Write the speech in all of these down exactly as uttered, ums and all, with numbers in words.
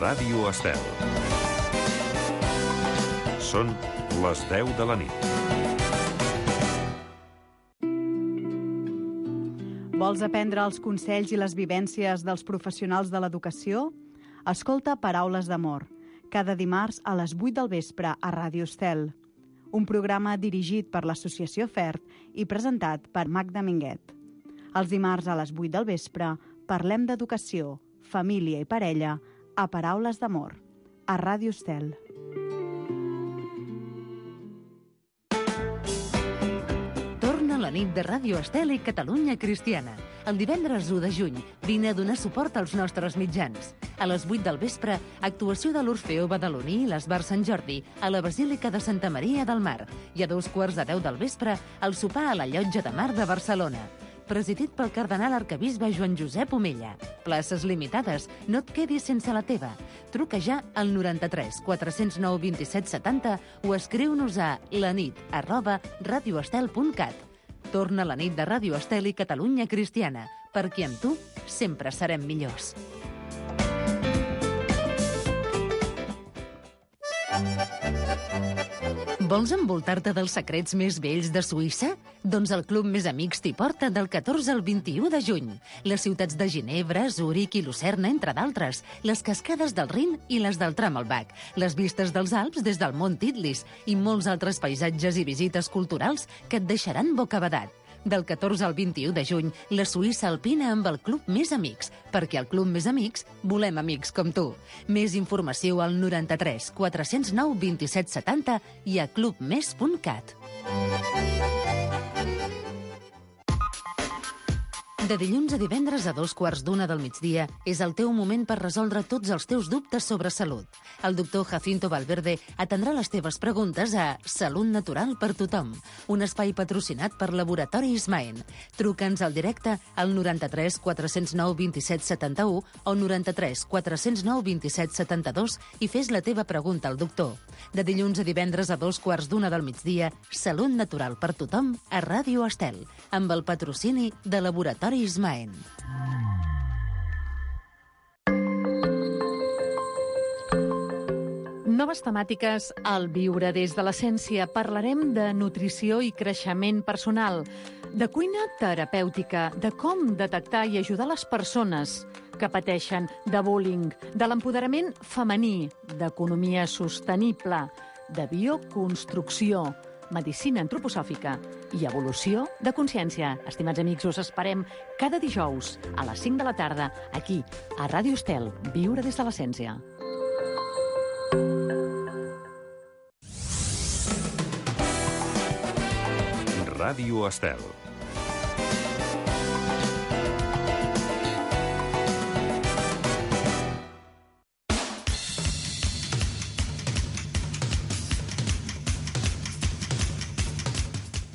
Ràdio Estel. Són les deu de la nit. Vols aprendre els consells i les vivències dels professionals de l'educació? Escolta Paraules d'Amor, cada dimarts a les vuit del vespre a Ràdio Estel. Un programa dirigit per l'Associació FERT i presentat per Magda Minguet. Els dimarts a les vuit del vespre parlem d'educació, família i parella a Paraules d'Amor, a Ràdio Estel. Torna la nit de Ràdio Estel i Catalunya Cristiana. El divendres u de juny vine a donar suport als nostres mitjans. A les vuit del vespre, actuació de l'Orfeó Badaloní i l'Esbar Sant Jordi a la Basílica de Santa Maria del Mar. I a dos quarts de deu del vespre, el sopar a la Llotja de Mar de Barcelona. Presidit pel cardenal arquebisbe Joan Josep Omella. Places limitades, no et quedis sense la teva. Truca ja al noranta-tres quatre-cents nou vint-i-set setanta o escriu-nos a lanit arroba radioestel punt cat. Torna la nit de Ràdio Estel i Catalunya Cristiana, perquè amb tu sempre serem millors. Vols envoltar-te dels secrets més vells de Suïssa? Doncs el Club Més Amics t'hi porta del catorze al vint-i-u de juny. Les ciutats de Ginebra, Zúrich i Lucerna, entre d'altres. Les cascades del Rin i les del Tramelbach. Les vistes dels Alps des del Mont Titlis i molts altres paisatges i visites culturals que et deixaran bocabadat. Del catorze al vint-i-u de juny, la Suïssa alpina amb el Club Més Amics, perquè al Club Més Amics volem amics com tu. Més informació al noranta-tres quatre-cents nou vint-i-set setanta i a clubmes punt cat. De dilluns a divendres a dos quarts d'una del migdia és el teu moment per resoldre tots els teus dubtes sobre salut. El doctor Jacinto Valverde atendrà les teves preguntes a Salut Natural per Tothom, un espai patrocinat per Laboratori Ismaen. Truca'ns al directe al noranta-tres quatre-cents nou vint-i-set setanta-u o noranta-tres quatre-cents nou vint-i-set setanta-dos i fes la teva pregunta al doctor. De dilluns a divendres a dos quarts d'una del migdia, Salut Natural per Tothom a Ràdio Estel, amb el patrocini de Laboratori Ismaen. Noves temàtiques al Viure des de l'Essència. Parlarem de nutrició i creixement personal, de cuina terapèutica, de com detectar i ajudar les persones que pateixen de bullying, de l'empoderament femení, d'economia sostenible, de bioconstrucció, medicina antroposòfica i evolució de consciència. Estimats amics, us esperem cada dijous a les cinc de la tarda aquí, a Ràdio Estel, Viure des de l'Essència. Ràdio Estel.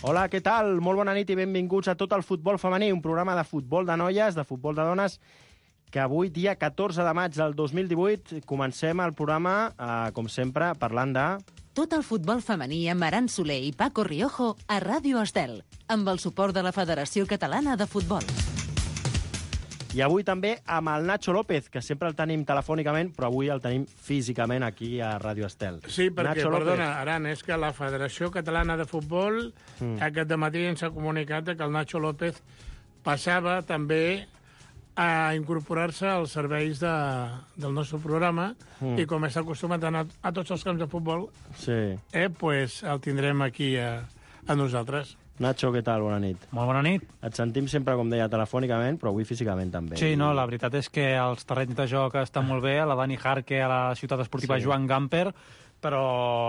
Hola, què tal? Molt bona nit i benvinguts a Tot el Futbol Femení, un programa de futbol de noies, de futbol de dones, que avui, dia catorze de maig del dos mil divuit, comencem el programa, eh, com sempre, parlant de... Tot el futbol femení amb Aran Soler i Paco Riojo a Ràdio Estel, amb el suport de la Federació Catalana de Futbol. I avui també amb el Nacho López, que sempre el tenim telefònicament, però avui el tenim físicament aquí a Ràdio Estel. Sí, perquè, Nacho perdona, López. Aran, és que la Federació Catalana de Futbol mm. aquest dematí ens ha comunicat que el Nacho López passava també a incorporar-se als serveis de, del nostre programa mm. i com està acostumat a anar a tots els camps de futbol, sí. eh, pues el tindrem aquí a, a nosaltres. Nacho, què tal? Bona nit. Molt bona nit. Et sentim sempre, com deia, telefònicament, però avui físicament també. Sí, no, la veritat és que els terrenys de joc estan molt bé, a la Dani Jarque, a la ciutat esportiva sí. Joan Gamper, però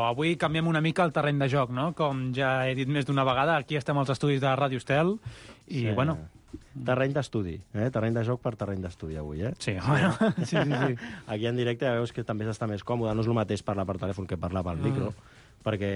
avui canviem una mica el terreny de joc, no? Com ja he dit més d'una vegada, aquí estem als estudis de Ràdio Estel, i, sí. bueno... Terreny d'estudi, eh? Terreny de joc per terreny d'estudi avui, eh? Sí, bueno, sí, sí, sí. Aquí en directe ja veus que també s'està més còmode, no és el mateix parlar per telèfon que parlar pel micro, mm. perquè,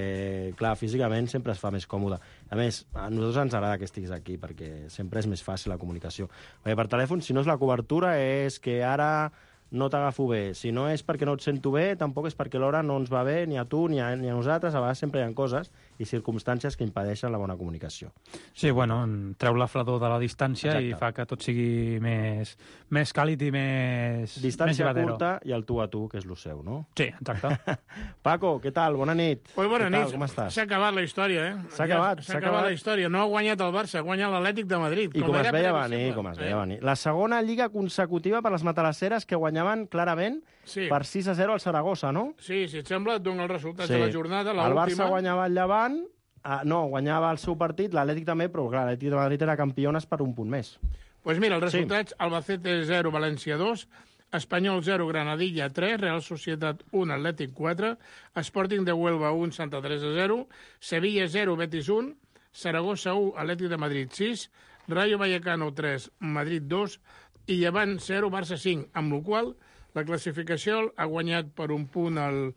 clar, físicament sempre es fa més còmode. A més, a nosaltres ens agrada que estiguis aquí, perquè sempre és més fàcil la comunicació. Perquè per telèfon, si no és la cobertura, és que ara no t'agafo bé. Si no és perquè no et sento bé, tampoc és perquè l'hora no ens va bé, ni a tu ni a, ni a nosaltres. A vegades sempre hi ha coses, i circumstàncies que impedeixen la bona comunicació. Sí, bueno, treu la fredor de la distància Exacte. i fa que tot sigui més, més càlid i més... Distància més llevadero. curta i el tu a tu, que és el seu, no? Sí, exacte. Paco, què tal? Bona nit. Pues bona Què nit. tal? Com estàs? S'ha acabat la història, eh? S'ha acabat, S'ha s'ha acabat acabat. la història. No ha guanyat el Barça, ha guanyat l'Atlètic de Madrid. I com es era veia previsible. venir, com es veia Eh? venir. La segona lliga consecutiva per les matalasseres que guanyaven clarament Sí. per sis a zero al Saragossa, no? Sí, si et sembla, et dono els resultats de la jornada, El Barça l'última. guanyava el Llevant, ah, no, guanyava el seu partit, l'Atlètic també, però clar, l'Atlètic de Madrid era campiones per un punt més. Pues mira, els resultats, Albacete zero, València dos, Espanyol zero, Granadilla tres, Real Societat un, Atlètic quatre, Sporting de Huelva un, Santa Teresa zero, Sevilla zero, Betis un, Saragossa un, Atlètic de Madrid sis, Rayo Vallecano tres, Madrid dos i Llevant zero, Barça cinc, amb la qual cosa la classificació ha guanyat per un punt al,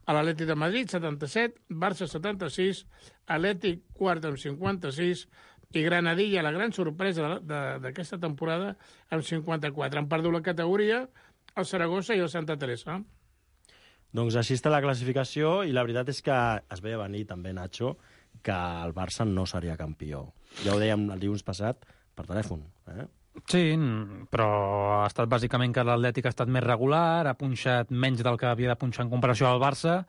a l'Atlètic de Madrid, setanta-set, Barça setanta-sis, Atlètic quart amb cinquanta-sis i Granadilla, la gran sorpresa de- de- d'aquesta temporada, amb cinquanta-quatre. Han perdut la categoria el Saragossa i el Santa Teresa. Doncs així està la classificació i la veritat és que es veia venir també, Nacho, que el Barça no seria campió. Ja ho dèiem el dilluns passat per telèfon. Eh? Sí, però ha estat bàsicament que l'Atlètic ha estat més regular, ha punxat menys del que havia de punxar en comparació al Barça,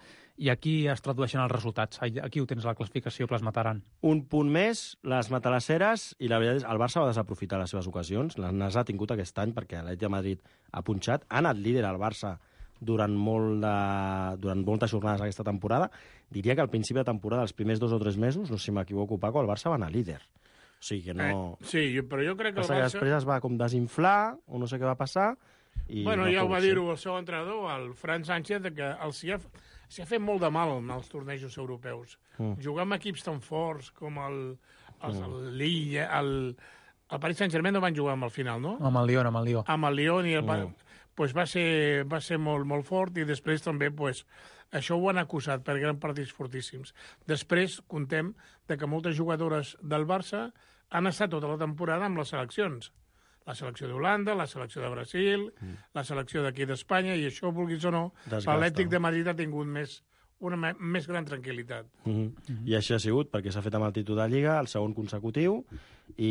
i aquí es tradueixen els resultats. Aquí ho tens, la classificació plasmataran. Un punt més, les matalasseres, i la veritat és el Barça va desaprofitar les seves ocasions, les ha tingut aquest any perquè l'Atlètic de Madrid ha punxat, ha anat líder al Barça durant, molt de, durant moltes jornades aquesta temporada. Diria que al principi de temporada, els primers dos o tres mesos, no sé si m'equivoco, Paco, el Barça va anar líder. O sigui que no... Eh, sí, jo- però jo crec que el Passa que Barça... després es va com desinflar, o no sé què va passar, i Bueno, no ja ho fou va així. dir-ho el seu entrenador, el Fran Sánchez, de que el s'hi ha, s'hi ha fet molt de mal en els tornejos europeus. Mm. Jugar amb equips tan forts com el, els, mm. el Lille, el, el Paris Saint-Germain no van jugar amb el final, no? Amb el Lyon, amb el Lyon. Amb el Lyon i el... Mm. Pues va ser, va ser molt, molt fort i després també pues, això ho han acusat per grans partits fortíssims. Després contem de que moltes jugadores del Barça han estat tota la temporada amb les seleccions. La selecció d'Holanda, la selecció de Brasil, mm. la selecció d'aquí d'Espanya, i això, vulguis o no, Desgasta. l'Atlètic de Madrid ha tingut més, una me- més gran tranquil·litat. Mm -hmm. Mm -hmm. I així ha sigut, perquè s'ha fet amb el títol de Lliga, el segon consecutiu, i,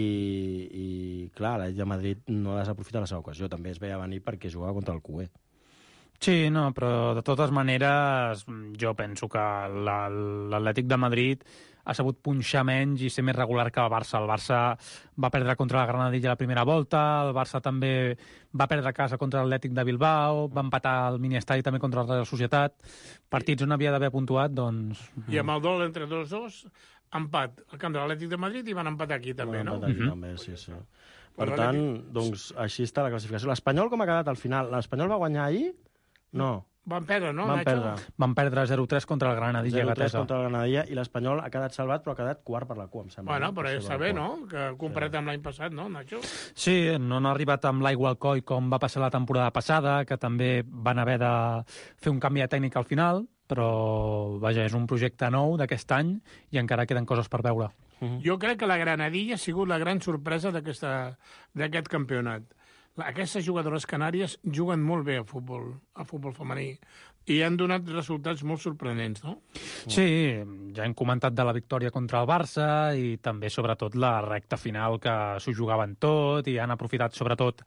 i clar, l'Atlètic de Madrid no ha desaprofitat la seva ocasió. També es veia venir perquè jugava contra el Q E. Sí, no, però de totes maneres jo penso que la- l'Atlètic de Madrid ha sabut punxar menys i ser més regular que el Barça. El Barça va perdre contra la Granadilla la primera volta, el Barça també va perdre a casa contra l'Atlètic de Bilbao, va empatar el miniestadi també contra la Real Societat. Partits on havia d'haver puntuat, doncs... I amb el dol entre dos dos, empat al camp de l'Atlètic de Madrid i van empatar aquí també, no? Van empatar aquí, Mhm. també, sí, sí. Per Però tant, l'Atlètic- doncs, així està la classificació. L'Espanyol com ha quedat al final? L'Espanyol va guanyar ahir? No, Van perdre, no, van Nacho? perdre. Van perdre zero tres contra el Granadilla. zero tres Gatesa. contra el Granadilla, i l'Espanyol ha quedat salvat, però ha quedat quart per la cua, em sembla. Bueno, no? però Tercer està per la bé, cua. no? Que comparat amb l'any passat, no, Nacho? Sí, no han arribat amb l'aigua al coll com va passar la temporada passada, que també van haver de fer un canvi de tècnica al final, però, vaja, és un projecte nou d'aquest any i encara queden coses per veure. Jo crec que la Granadilla ha sigut la gran sorpresa d'aquesta- d'aquest campionat. La- Aquestes jugadores canàries juguen molt bé a futbol, a futbol femení, i han donat resultats molt sorprenents, no? Sí, ja hem comentat de la victòria contra el Barça i també, sobretot, la recta final que s'ho jugaven tot i han aprofitat, sobretot,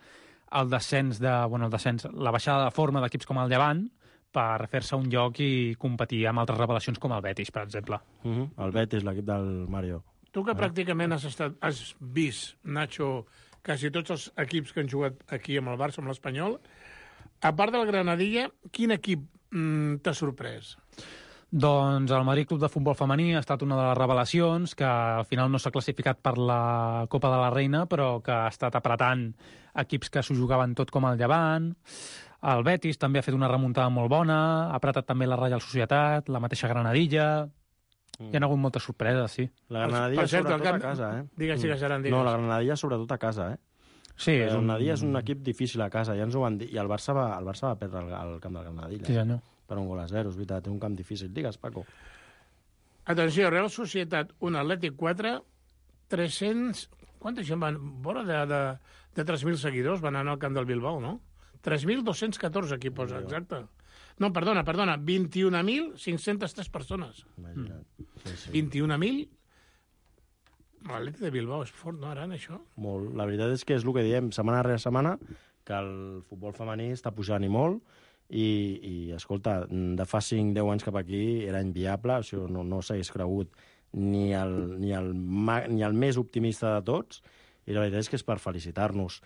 el descens de, bueno, el descens, la baixada de forma d'equips com el Llevant per fer-se un lloc i competir amb altres revelacions com el Betis, per exemple. Uh -huh. El Betis, l'equip del Mario. Tu que pràcticament has, estat, has vist, Nacho, quasi tots els equips que han jugat aquí amb el Barça, amb l'Espanyol, a part del Granadilla, quin equip mm, t'ha sorprès? Doncs el Madrid Club de Futbol Femení ha estat una de les revelacions, que al final no s'ha classificat per la Copa de la Reina, però que ha estat apretant equips que s'ho jugaven tot com el Llevant. El Betis també ha fet una remuntada molt bona, ha apretat també la Reial Societat, la mateixa Granadilla. Hi ha hagut moltes sorpreses, sí. La Granadilla, Per cert, sobretot el camp- a casa, eh? Digues, digues, Aran, digues. No, la Granadilla sobretot a casa, eh? Sí, és El un... Granadilla és un equip difícil a casa, ja ens ho van dir. I el Barça va, el Barça va perdre al, al camp del Granadilla. Sí, senyor. Per un gol a zero, és veritat, té un camp difícil. Digues, Paco. Atenció, Real Societat un, Atlètic quatre, tres-cents... Quanta gent van? Vora de, de, de tres mil seguidors van anar al camp del Bilbao, no? tres mil dos-cents catorze, aquí posa, exacte. No, perdona, perdona, vint-i-un mil cinc-centes tres persones. Imagina't. Sí, sí. vint-i-un mil... L'Atlètic de Bilbao és fort, no, Aran, això? Molt. La veritat és que és el que diem, setmana rere setmana, que el futbol femení està pujant i molt, i, i escolta, de fa cinc deu anys cap aquí era inviable, això no, no s'hagués cregut ni el, ni, el, ni el més optimista de tots, i la veritat és que és per felicitar-nos.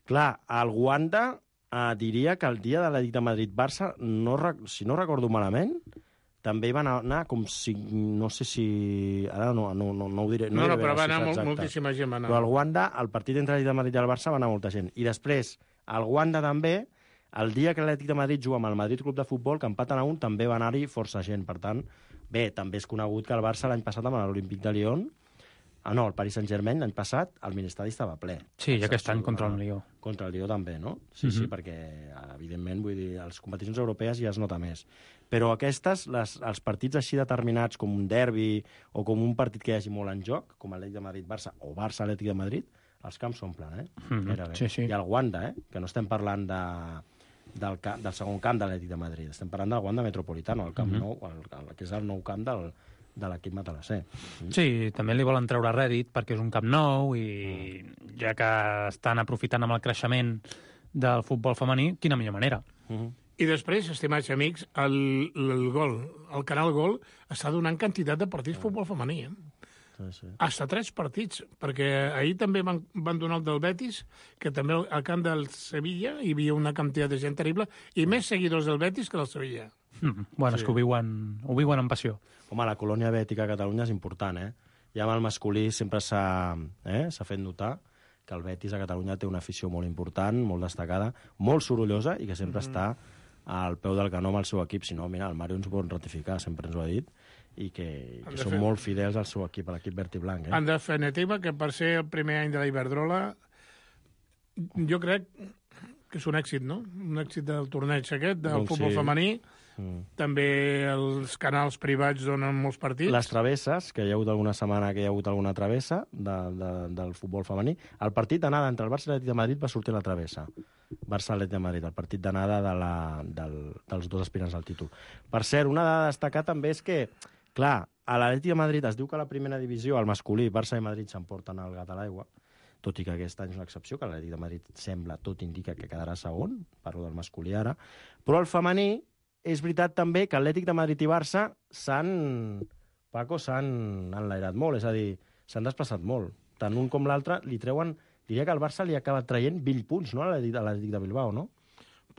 Clar, el Wanda eh, diria que el dia de l'Atlètic de Madrid-Barça, no, si no recordo malament, també hi van anar com si... No sé si... Ara no, no, no, no ho diré. No, No, no, diré però va la anar xifra molt, exacta. moltíssima gent. Va anar. Però al Wanda, el partit entre l'Atlètic de Madrid i el Barça, va anar molta gent. I després, al Wanda també, el dia que l'Atlètic de Madrid juga amb el Madrid Club de Futbol, que empaten a un, també va anar-hi força gent. Per tant, bé, també és conegut que el Barça l'any passat amb l'Olímpic de Lyon, ah, no, el Paris Saint-Germain l'any passat, el Ministeri estava ple. Sí, i aquest any contra el Lió. Contra el Lió també, no? Sí, Mhm. sí, perquè, evidentment, vull dir, a les competicions europees ja es nota més. Però aquestes, les, els partits així determinats, com un derbi o com un partit que hi hagi molt en joc, com l'Atlètic de Madrid-Barça o Barça-Atlètic de Madrid, els camps s'omplen, eh? Mhm, Gairebé. sí, sí. I el Wanda, eh? Que no estem parlant de, del, ca- del segon camp de l'Atlètic de Madrid, estem parlant del Wanda Metropolitano, el camp Mhm. nou, el, el, que és el nou camp del, de l'equip matalassé. Sí, també li volen treure rèdit perquè és un camp nou i ja que estan aprofitant amb el creixement del futbol femení, quina millor manera. Mhm. I després, estimats amics, el, el Gol, el canal Gol, està donant quantitat de partits de futbol femení, eh? Sí, sí. Hasta tres partits, perquè ahir també van, van donar el del Betis, que també al, al camp del Sevilla hi havia una quantitat de gent terrible, i més seguidors del Betis que del Sevilla. Mm, bueno, sí. És que ho viuen, ho viuen amb passió. Home, la colònia bètica a Catalunya és important, eh? Ja amb el masculí sempre s'ha eh? s'ha fet notar que el Betis a Catalunya té una afició molt important, molt destacada, molt sorollosa i que sempre mm. està al peu del canó amb el seu equip. Si no, mira, el Mario ens ho pot ratificar, sempre ens ho ha dit, i que, que són fer... molt fidels al seu equip, a l'equip verd i blanc. Eh? En definitiva, que per ser el primer any de la Iberdrola, jo crec que és un èxit, no? Un èxit del torneig aquest, del doncs futbol sí. femení. Mm. També els canals privats donen molts partits. Les travesses, que hi ha hagut alguna setmana que hi ha hagut alguna travessa de, de, del futbol femení. El partit d'anada entre el Barça i l'Atlètic de Madrid va sortir a la travessa. Barça-Atlètic de Madrid, el partit d'anada de la, del, dels dos aspirants al títol. Per cert, una dada a destacar també és que, clar, a l'Atlètic de Madrid es diu que a la primera divisió, al masculí, Barça i Madrid s'emporten el gat a l'aigua, tot i que aquest any és una excepció, que l'Atlètic de Madrid sembla, tot indica que quedarà segon, parlo del masculí ara, però el femení és veritat també que Atlètic de Madrid i Barça s'han, Paco, s'han enlairat molt, és a dir, s'han desplaçat molt. Tant un com l'altre li treuen, diria que el Barça li ha acabat traient vint punts, no?, a l'Atlètic de Bilbao, no?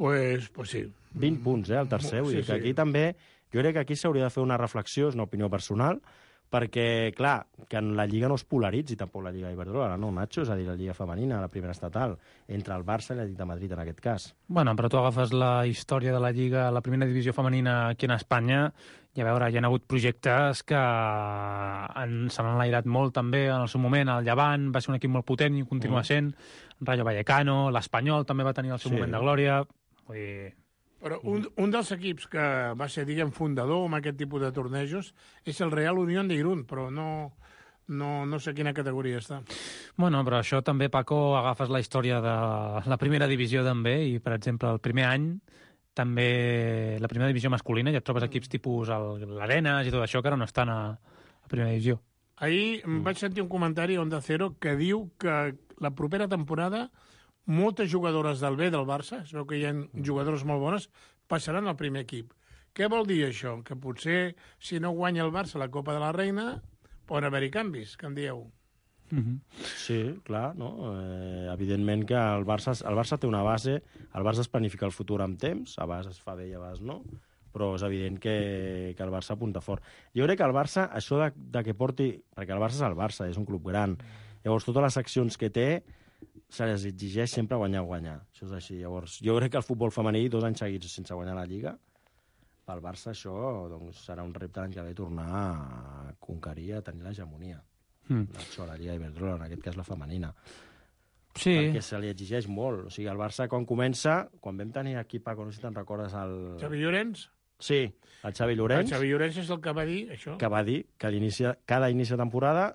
Pues, pues sí. vint punts, eh, el tercer. Vull Sí, dir que sí. aquí també, jo crec que aquí s'hauria de fer una reflexió, és una opinió personal, perquè, clar, que en la Lliga no es polaritzi tampoc la Lliga Iberdrola, no, Nacho? És a dir, la Lliga femenina, la primera estatal, entre el Barça i l'Atlètic de Madrid, en aquest cas. Bueno, però tu agafes la història de la Lliga, la primera divisió femenina aquí en Espanya, i a veure, hi ha hagut projectes que han, se n'han enlairat molt també en el seu moment. El Llevant va ser un equip molt potent i ho continua Mm. sent. Rayo Vallecano, l'Espanyol també va tenir el seu Sí. moment de glòria. Vull dir... Però un, un dels equips que va ser, diguem, fundador amb aquest tipus de tornejos és el Real Unión de Irún, però no, no, no sé quina categoria està. Bueno, però això també, Paco, agafes la història de la primera divisió també, i, per exemple, el primer any també la primera divisió masculina, ja et trobes equips tipus el- l'Arenas i tot això que ara no estan a, a primera divisió. Ahir mm. vaig sentir un comentari a Onda Cero que diu que la propera temporada moltes jugadores del B del Barça, es veu que hi ha jugadores molt bones, passaran al primer equip. Què vol dir això? Que potser, si no guanya el Barça la Copa de la Reina, poden haver-hi canvis, que en dieu. Mm-hmm. Sí, clar, no? Eh, evidentment que el Barça, el Barça té una base, el Barça es planifica el futur amb temps, a vegades es fa bé i a vegades no, però és evident que, que el Barça apunta fort. Jo crec que el Barça, això de, de que porti... Perquè el Barça és el Barça, és un club gran. Llavors, totes les accions que té se les exigeix sempre guanyar-guanyar. Això és així. Llavors, jo crec que el futbol femení, dos anys seguits sense guanyar la Lliga, pel Barça això doncs, serà un repte l'any que ve tornar a conquerir, a tenir l'hegemonia. Mm. Això, la Lliga Iberdrola, en aquest cas la femenina. Sí. Perquè se li exigeix molt. O sigui, el Barça, quan comença, quan vam tenir aquí, Paco, no sé si te'n recordes, el... Xavi Llorenç? Sí, el Xavi El Llorenç, Xavi Llorenç és el que va dir això. que va dir que a l'inici, cada inici de temporada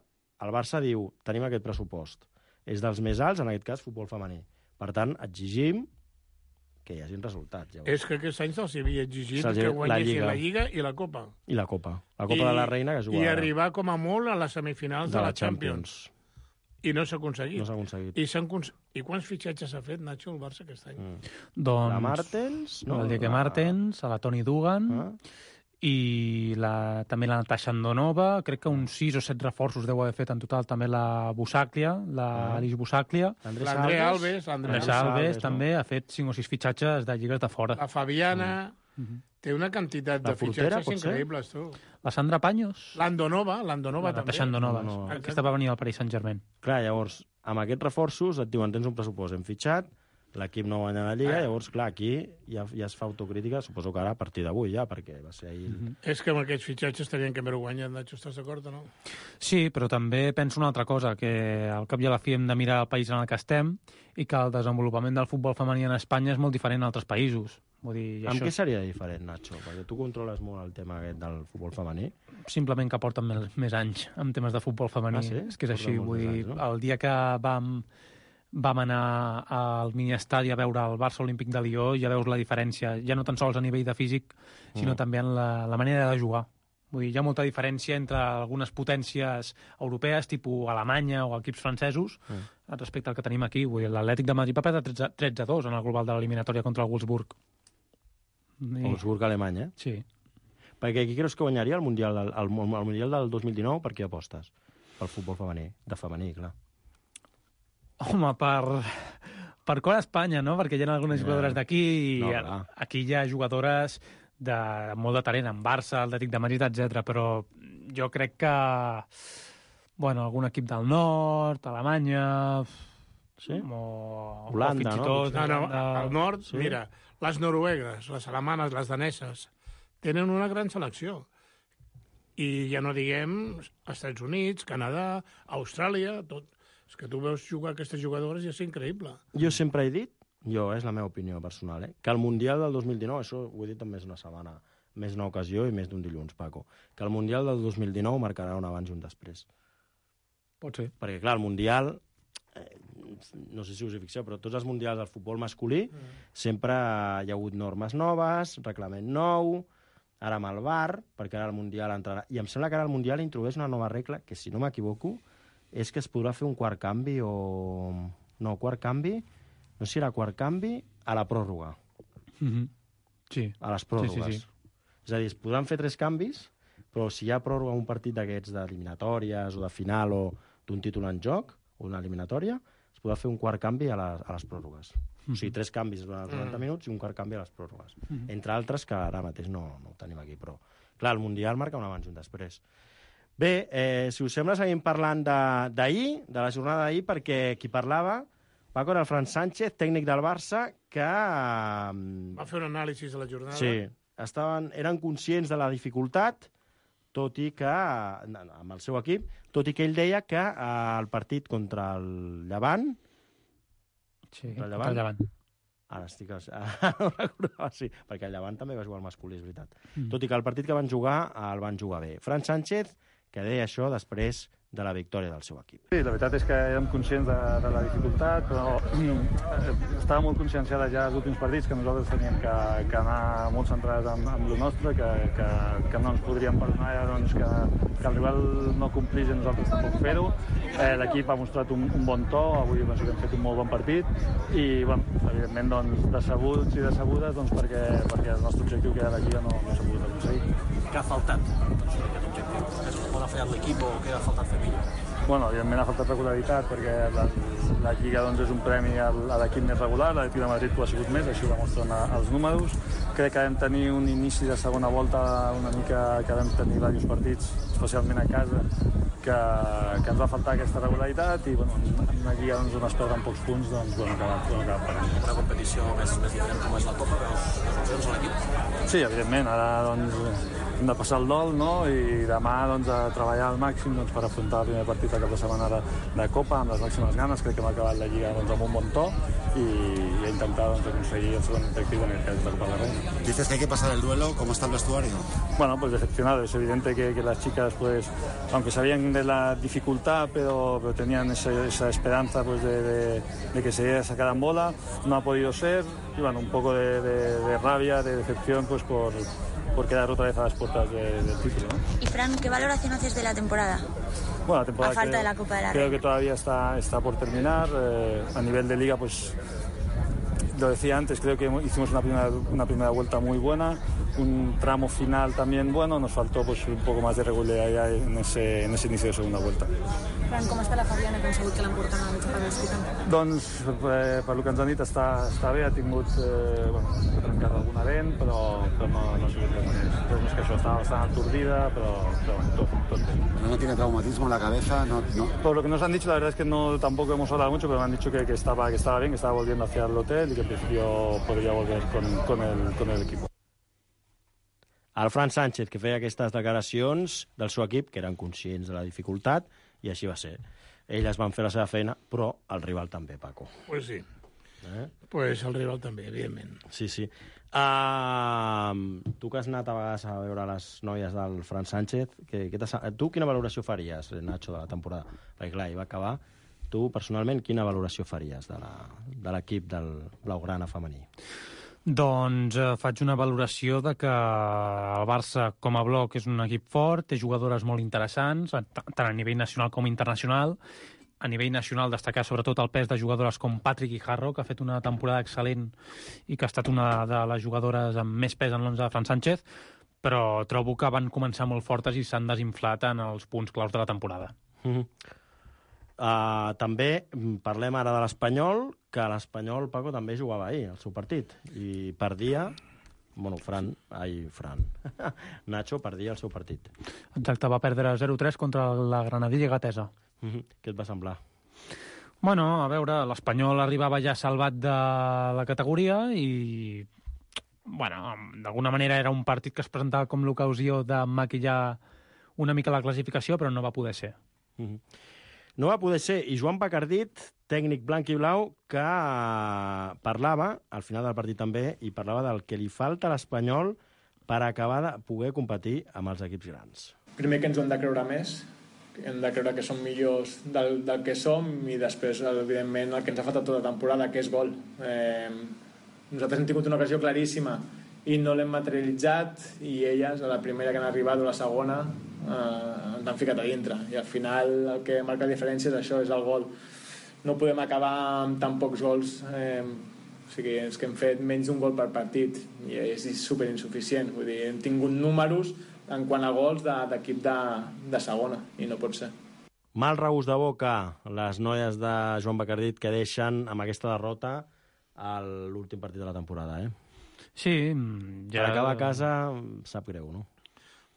el Barça diu, tenim aquest pressupost. És dels més alts, en aquest cas, futbol femení. Per tant, exigim que hi hagin resultats. Llavors. És que aquest any se'ls havia exigit Se'ls- que la guanyessin Lliga. la Lliga i la Copa. I la Copa. La Copa I, de la Reina, que es juga I ara. arribar com a molt a les semifinals de, de la la Champions. Champions. I no s'ha aconseguit. No s'ha aconseguit. I, s'han cons... I quants fitxatges s'ha fet, Nacho, el Barça aquest any? Mm. Doncs... La Martens, no? El Diego La- Martens, a la Toni Dugan, Ah. i la, també la Natasha Andonova, crec que uns sis o set reforços deu haver fet en total, també la Busaclia, la Ah. Alice Busaclia. L'Andrés L'André Alves. Alves, l'André Andrés Alves, Alves no? també ha fet cinc o sis fitxatges de lligues de fora. La Fabiana... Mhm. Té una quantitat La de portera, fitxatges pot ser? increïbles, tu. La Sandra Paños, L'Andonova, l'Andonova la també. Natasha Andonova. No, no. Aquesta va venir al Paris Saint-Germain. Clar, llavors, amb aquests reforços et diuen tens un pressupost, hem fitxat, l'equip no guanya la Lliga, Ah. llavors, clar, aquí ja, ja es fa autocrítica, suposo que ara a partir d'avui ja, perquè va ser ahir... Mm -hmm. És que amb aquests fitxatges tenien que haver-ho guanyat, Nacho, estàs d'acord o no? Sí, però també penso una altra cosa, que al cap i a la fi hem de mirar el país en el que estem i que el desenvolupament del futbol femení en Espanya és molt diferent a altres països. Vull dir, i Amb això què seria diferent, Nacho? Perquè tu controles molt el tema aquest del futbol femení. simplement que porten més, més anys en temes de futbol femení. Ah, sí? És que és Porten així. molts Vull més dir, anys, no? el dia que vam, vam anar al miniestadi a veure el Barça Olímpic de Lió, ja veus la diferència, ja no tan sols a nivell de físic, sinó Mm. també en la, la manera de jugar. Vull dir, hi ha molta diferència entre algunes potències europees, tipus Alemanya o equips francesos, Mm. respecte al que tenim aquí. Vull dir, l'Atlètic de Madrid va perdre tretze a dos en el global de l'eliminatòria contra el Wolfsburg. I... Wolfsburg, Alemanya, eh? Sí. Perquè qui creus que guanyaria el Mundial del, el, el Mundial del dos mil dinou? Per què apostes? Pel futbol femení. De femení, clar. Home, per, per cor a Espanya, no? Perquè hi ha algunes Ja. jugadores d'aquí i No, clar. aquí hi ha jugadores de molt de talent, en Barça, Atlètic de Madrid, etcètera. Però jo crec que, bueno, algun equip del nord, Alemanya... Sí? O, Holanda, o fins i no? tot... No, no, Holanda. al nord, Sí. mira, les noruegues, les alemanes, les daneses, tenen una gran selecció. I ja no diguem Estats Units, Canadà, Austràlia, tot. És que tu veus jugar aquestes jugadores i és increïble. Jo sempre he dit, jo, és la meva opinió personal, eh, que el Mundial del dos mil dinou, això ho he dit en més d'una setmana, més d'una ocasió i més d'un dilluns, Paco, que el Mundial del dos mil dinou marcarà un abans i un després. Pot ser. Perquè, clar, el Mundial, eh, no sé si us hi fixeu, però tots els Mundials del futbol masculí mm. sempre hi ha hagut normes noves, reglament nou, ara amb el V A R, perquè ara el Mundial entrarà... I em sembla que ara el Mundial introdueix una nova regla, que si no m'equivoco, és que es podrà fer un quart canvi o... No, quart canvi, no sé si era quart canvi, a la pròrroga, Mm-hmm. Sí. a les pròrrogues. Sí, sí, sí. És a dir, es podran fer tres canvis, però si hi ha pròrroga un partit d'aquests d'eliminatòries o de final o d'un títol en joc, o una eliminatòria, es podrà fer un quart canvi a les, a les pròrrogues. Mm-hmm. O sigui, tres canvis durant els noranta minuts i un quart canvi a les pròrrogues. Mm-hmm. Entre altres, que ara mateix no, no ho tenim aquí, però... Clar, el Mundial marca un abans i un després. Bé, eh, si us sembla, seguim parlant de- d'ahir, de, de la jornada d'ahir, perquè qui parlava, Paco, era el Fran Sánchez, tècnic del Barça, que... eh, Va fer un anàlisi de la jornada. Sí, estaven, eren conscients de la dificultat, tot i que, amb el seu equip, tot i que ell deia que eh, el partit contra el Llevant, Sí, Contra el contra el Llevant? Llevant. ara estic... Ara no recordava, sí, perquè el Llevant també va jugar al masculí, és veritat. Mm. Tot i que el partit que van jugar, el van jugar bé. Fran Sánchez, que deia això després de la victòria del seu equip. Sí, la veritat és que érem conscients de, de la dificultat, però eh, estava molt conscienciada ja als últims partits que nosaltres teníem que, que anar molt centrats en, en el nostre, que, que, que no ens podríem perdonar doncs, que, que el rival no complís i nosaltres tampoc fer-ho. Eh, L'equip ha mostrat un, un bon to, avui penso que hem fet un molt bon partit i, bueno, evidentment, doncs, decebuts i decebudes doncs, perquè, perquè el nostre objectiu, que era la Lliga, no, no s'ha pogut aconseguir. Què ha faltat doncs, per aquest objectiu? És on ha fallat l'equip o què ha faltat fer millor? Bueno, evidentment ha faltat regularitat perquè la, la Lliga doncs, és un premi al, a l'equip més regular, l'Atlètic de Madrid ho ha sigut més, així ho demostren a, els números. Crec que vam tenir un inici de segona volta una mica que vam tenir diversos partits, especialment a casa, que, que ens va faltar aquesta regularitat i bueno, en una Lliga doncs, on es perden pocs punts, doncs bueno, que, bueno, que pagant. Una competició més, més diferent com és la Copa, veus les opcions a l'equip? Sí, evidentment, ara doncs, hem de passar el dol, no? I demà doncs, a treballar al màxim doncs, per afrontar el primer partit de cap de setmana de, de Copa amb les màximes ganes. Crec que hem acabat la Lliga doncs, amb un bon to i, i intentar doncs, aconseguir el segon objectiu en el cas de Copa de la Reina. Dices que hay que pasar el duelo, ¿cómo está el vestuario? Bueno, pues decepcionado. Es evidente que, que las chicas, pues, aunque sabían de la dificultad, pero, pero tenían ese, esa esperanza pues, de, de, de que se sacaran bola, no ha podido ser. Y bueno, un poco de, de, de rabia, de decepción, pues por, por quedar otra vez a las puertas de, del título, ¿no? Y Fran, ¿qué valoración haces de la temporada? Bueno, la temporada a falta creo, de la Copa de la creo Reina. que todavía está, está por terminar. Eh, a nivel de liga, pues lo decía antes, creo que hicimos una primera, una primera vuelta muy buena, un tramo final también bueno, nos faltó pues, un poco más de regularidad en ese, en ese inicio de segunda vuelta. Fran, com està la Fabiana? Com sabut que l'emporten al Xavier Hospital? Doncs, eh, per lo que ens han dit, està, està bé, ha tingut, eh, bueno, ha trencat alguna dent, però, però no, no ha sigut res més. Res més que això, estava bastant aturdida, però, però bueno, tot, tot bé. ¿No, no tiene traumatismo en la cabeza? No, no. Por lo que nos han dicho, la verdad es que no tampoco hemos hablado mucho, pero me han dicho que, que, estaba, que estaba bien, que estaba volviendo hacia el hotel y que en principio podría volver con, con, el, con el equipo. El Fran Sánchez, que feia aquestes declaracions del seu equip, que eren conscients de la dificultat, i així va ser. Elles van fer la seva feina, però el rival també, Paco. Pues sí. Eh? Pues el rival també, evidentment. Sí, sí. Uh, tu que has anat a vegades a veure les noies del Fran Sánchez, que, que tu quina valoració faries, Nacho, de la temporada? Perquè clar, hi va acabar. Tu, personalment, quina valoració faries de l'equip de del Blaugrana femení? Doncs eh, faig una valoració de que el Barça, com a bloc, és un equip fort, té jugadores molt interessants, tant a nivell nacional com internacional. A nivell nacional destacar sobretot el pes de jugadores com Patrick Guijarro, que ha fet una temporada excel·lent i que ha estat una de les jugadores amb més pes en l'onze de Fran Sánchez, però trobo que van començar molt fortes i s'han desinflat en els punts claus de la temporada. Mm-hmm. Uh, també parlem ara de l'Espanyol, que l'Espanyol, Paco, també jugava ahir, el seu partit, i perdia, bueno, Fran, ai, Fran, Nacho perdia el seu partit. Exacte, va perdre zero tres contra la Granadilla Gatesa. Mm-hmm. Què et va semblar? Bueno, a veure, l'Espanyol arribava ja salvat de la categoria i, bueno, d'alguna manera era un partit que es presentava com l'ocasió de maquillar una mica la classificació, però no va poder ser. Mm-hmm. No va poder ser. I Joan Bacardit, tècnic blanc i blau, que parlava, al final del partit també, i parlava del que li falta a l'Espanyol per acabar de poder competir amb els equips grans. Primer que ens ho hem de creure més, hem de creure que som millors del, del que som, i després, evidentment, el que ens ha faltat tota la temporada, que és gol. Eh, nosaltres hem tingut una ocasió claríssima i no l'hem materialitzat, i elles, a la primera que han arribat o la segona, eh, ens han ficat a dintre, i al final el que marca la diferència és això, és el gol. No podem acabar amb tan pocs gols, eh, o sigui, és que hem fet menys d'un gol per partit i és superinsuficient. Vull dir, hem tingut números en quant a gols d'equip de, de, de segona, i no pot ser. Mal regust de boca les noies de Joan Bacardit, que deixen amb aquesta derrota a l'últim partit de la temporada, eh? Sí, ja... Per acabar a casa sap greu, no?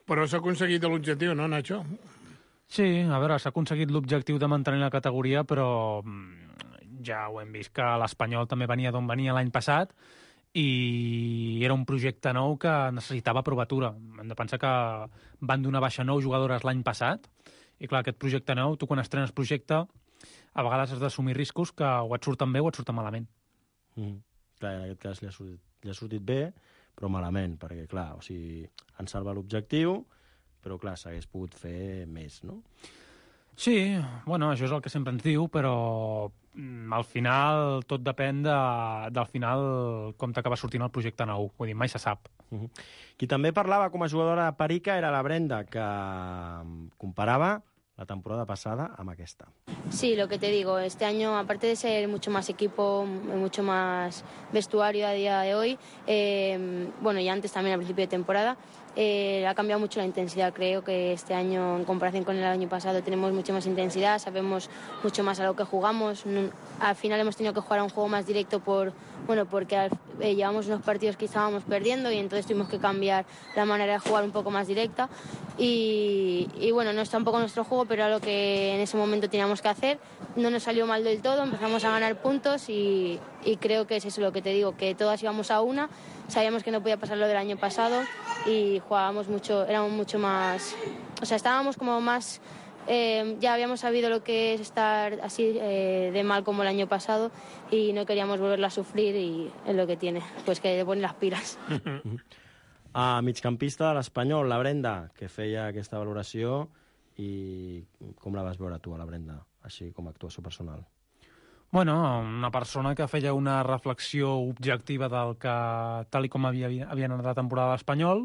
Però s'ha aconseguit l'objectiu, no, Nacho? Sí, a veure, s'ha aconseguit l'objectiu de mantenir la categoria, però ja ho hem vist que l'Espanyol també venia d'on venia l'any passat i era un projecte nou que necessitava provatura. Hem de pensar que van donar baixa nou jugadores l'any passat i, clar, aquest projecte nou, tu quan estrenes projecte, a vegades has d'assumir riscos que o et surten bé o et surten malament. Mm. Clar, en aquest cas li ha sortit, li ha sortit bé, però malament, perquè, clar, o sigui, han salvat l'objectiu, però, clar, s'hagués pogut fer més, no? Sí, bueno, això és el que sempre ens diu, però al final tot depèn de, del final com t'acaba sortint el projecte nou. Vull dir, mai se sap. Uh-huh. Qui també parlava com a jugadora de Perica era la Brenda, que comparava la temporada pasada amb aquesta. Sí, lo que te digo, este año, aparte de ser mucho más equipo, mucho más vestuario a día de hoy, eh, bueno, y antes también al principio de temporada, eh, ha cambiado mucho la intensidad. Creo que este año, en comparación con el año pasado, tenemos mucha más intensidad, sabemos mucho más a lo que jugamos. Al final hemos tenido que jugar a un juego más directo por, bueno, porque al, eh, llevamos unos partidos que estábamos perdiendo y entonces tuvimos que cambiar la manera de jugar un poco más directa. Y, y bueno, no está un poco nuestro juego, pero era lo que en ese momento teníamos que hacer. No nos salió mal del todo, empezamos a ganar puntos y, y creo que es eso lo que te digo, que todas íbamos a una, sabíamos que no podía pasar lo del año pasado y jugábamos mucho, éramos mucho más, o sea, estábamos como más eh, ya habíamos sabido lo que es estar así eh, de mal como el año pasado y no queríamos volverla a sufrir y es lo que tiene, pues que le ponen las pilas. A migcampista de l'Espanyol, la Brenda, que feia aquesta valoració, i com la vas veure tu, a la Brenda, així com a actuació personal? Bueno, una persona que feia una reflexió objectiva del que, tal i com havia, havia anat la temporada a l'Espanyol,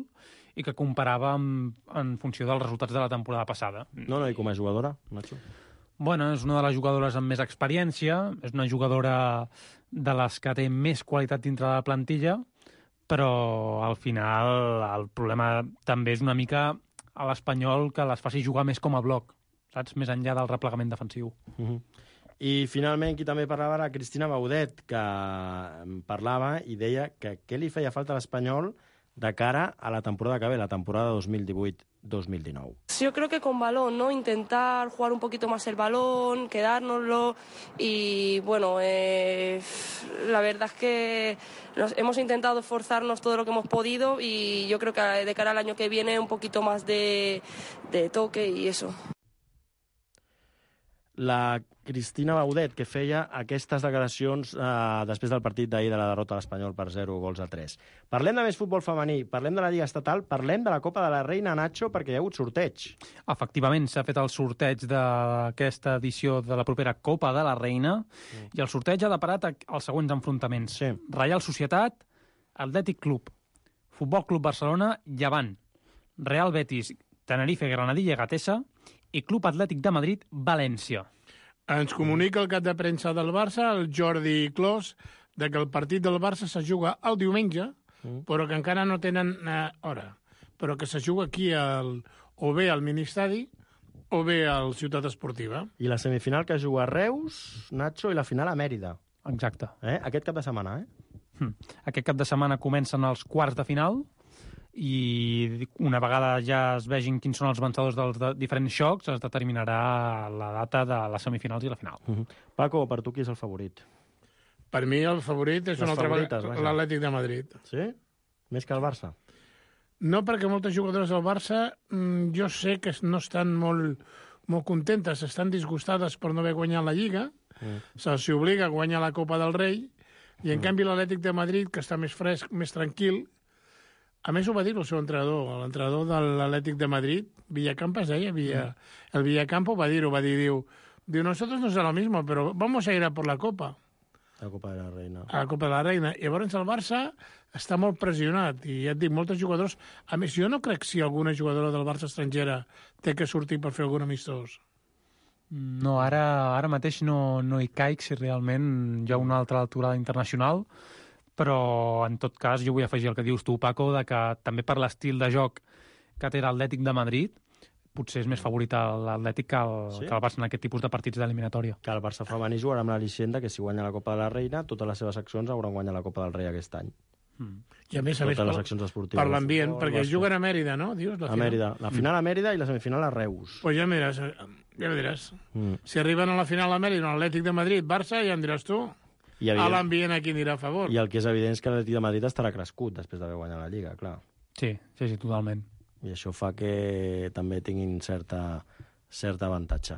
i que comparava amb, en funció dels resultats de la temporada passada. No, no, i com a jugadora, Nacho? Bueno, és una de les jugadores amb més experiència, és una jugadora de les que té més qualitat dintre de la plantilla, però al final el problema també és una mica a l'Espanyol que les faci jugar més com a bloc, saps? Més enllà del replegament defensiu. Uh-huh. I finalment qui també parlava era Cristina Baudet, que parlava i deia que què li feia falta a l'Espanyol de cara a la temporada que ve, la temporada dos mil divuit dos mil dinou. Yo creo que con balón, ¿no? Intentar jugar un poquito más el balón, quedárnoslo y, bueno, eh, la verdad es que nos, hemos intentado esforzarnos todo lo que hemos podido y yo creo que de cara al año que viene un poquito más de, de toque y eso. La Cristina Baudet, que feia aquestes declaracions eh, després del partit d'ahir de la derrota a l'Espanyol per zero gols a tres. Parlem de més futbol femení, parlem de la Lliga Estatal, parlem de la Copa de la Reina, Nacho, perquè hi ha hagut sorteig. Efectivament, s'ha fet el sorteig d'aquesta edició de la propera Copa de la Reina mm. i el sorteig ha deparat els següents enfrontaments. Sí. Reial Societat, Atlètic Club, Futbol Club Barcelona, Llevant, Real Betis, Tenerife, Granadilla i Gatesa, i Club Atlètic de Madrid, València. Ens comunica el cap de premsa del Barça, el Jordi Clos, de que el partit del Barça se juga el diumenge, mm. però que encara no tenen eh, hora, però que se juga aquí al, o bé al Ministadi o bé al Ciutat Esportiva. I la semifinal que juga a Reus, Nacho, i la final a Mèrida. Exacte. Eh? Aquest cap de setmana, eh? Hm. Aquest cap de setmana comencen els quarts de final, i una vegada ja es vegin quins són els vencedors dels de diferents xocs, es determinarà la data de les semifinals i la final. Uh-huh. Paco, per tu qui és el favorit? Per mi el favorit és un altre l'Atlètic de Madrid. Sí? Més que el Barça? No, perquè moltes jugadores del Barça jo sé que no estan molt, molt contentes, estan disgustades per no haver guanyat la Lliga, mm. se'ls obliga a guanyar la Copa del Rei, i en mm. canvi l'Atlètic de Madrid, que està més fresc, més tranquil. A més, ho va dir el seu entrenador, l'entrenador de l'Atlètic de Madrid, Villacampa es deia, Villa, el Villacampo va dir-ho, va dir, diu, diu, nosotros no es lo mismo, pero vamos a ir a por la Copa. La Copa de la Reina. A la Copa de la Reina. I llavors el Barça està molt pressionat, i ja et dic, moltes jugadors... A més, jo no crec si alguna jugadora del Barça estrangera té que sortir per fer algun amistós. No, ara, ara mateix no, no hi caic si realment hi ha una altra altura internacional, però en tot cas jo vull afegir el que dius tu, Paco, de que també per l'estil de joc que té l'Atlètic de Madrid potser és més favorit l'Atlètic que, el, sí? que el Barça en aquest tipus de partits d'eliminatòria. Que el Barça femení jugarà amb l'al·licient que si guanya la Copa de la Reina, totes les seves accions hauran guanyat la Copa del Rei aquest any. Mm. I a més a més per, per l'ambient, perquè juguen a Mèrida, no? Dius, la a Mèrida. La final a Mèrida i la semifinal a Reus. Pues ja miràs, ja ho diràs. Mm. Si arriben a la final a Mèrida, l'Atlètic de Madrid, Barça, ja em diràs tu. A l'ambient a qui anirà a favor. I el que és evident és que l'Atlètic de Madrid estarà crescut després d'haver guanyat la Lliga, clar. Sí, sí, sí, totalment. I això fa que també tinguin certa, certa avantatge.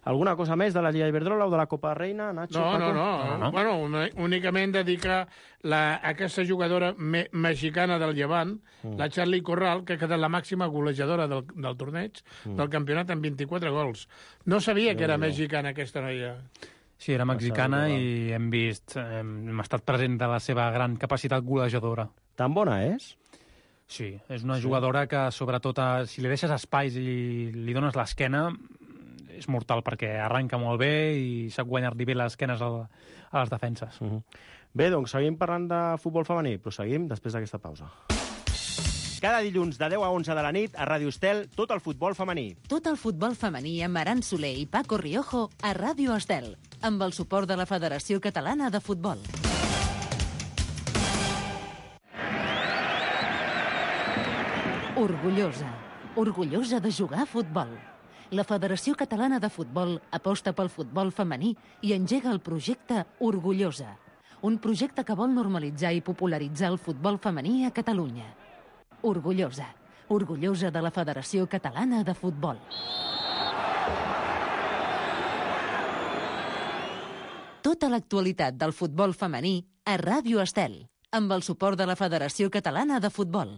Alguna cosa més de la Lliga Iberdrola o de la Copa Reina, Nacho? No, Paco? no, no, no, no. Bueno, únicament dedicar la, aquesta jugadora me, mexicana del Llevant, mm. la Charly Corral, que ha quedat la màxima golejadora del, del torneig, mm. del campionat amb vint-i-quatre gols. No sabia no, que era no. mexicana aquesta noia. Sí, era mexicana i hem vist, hem estat present de la seva gran capacitat golejadora. Tan bona és? Sí, és una sí. jugadora que, sobretot, si li deixes espais i li dones l'esquena, és mortal, perquè arranca molt bé i sap guanyar-li bé les esquenes a les defenses. Uh-huh. Bé, doncs seguim parlant de futbol femení, però seguim després d'aquesta pausa. Cada dilluns de deu a onze de la nit a Ràdio Estel, tot el futbol femení. Tot el futbol femení amb Aran Soler i Paco Riojo a Ràdio Estel, amb el suport de la Federació Catalana de Futbol. Orgullosa. Orgullosa de jugar a futbol. La Federació Catalana de Futbol aposta pel futbol femení i engega el projecte Orgullosa, un projecte que vol normalitzar i popularitzar el futbol femení a Catalunya. Orgullosa. Orgullosa de la Federació Catalana de Futbol. Tota l'actualitat del futbol femení a Ràdio Estel, amb el suport de la Federació Catalana de Futbol.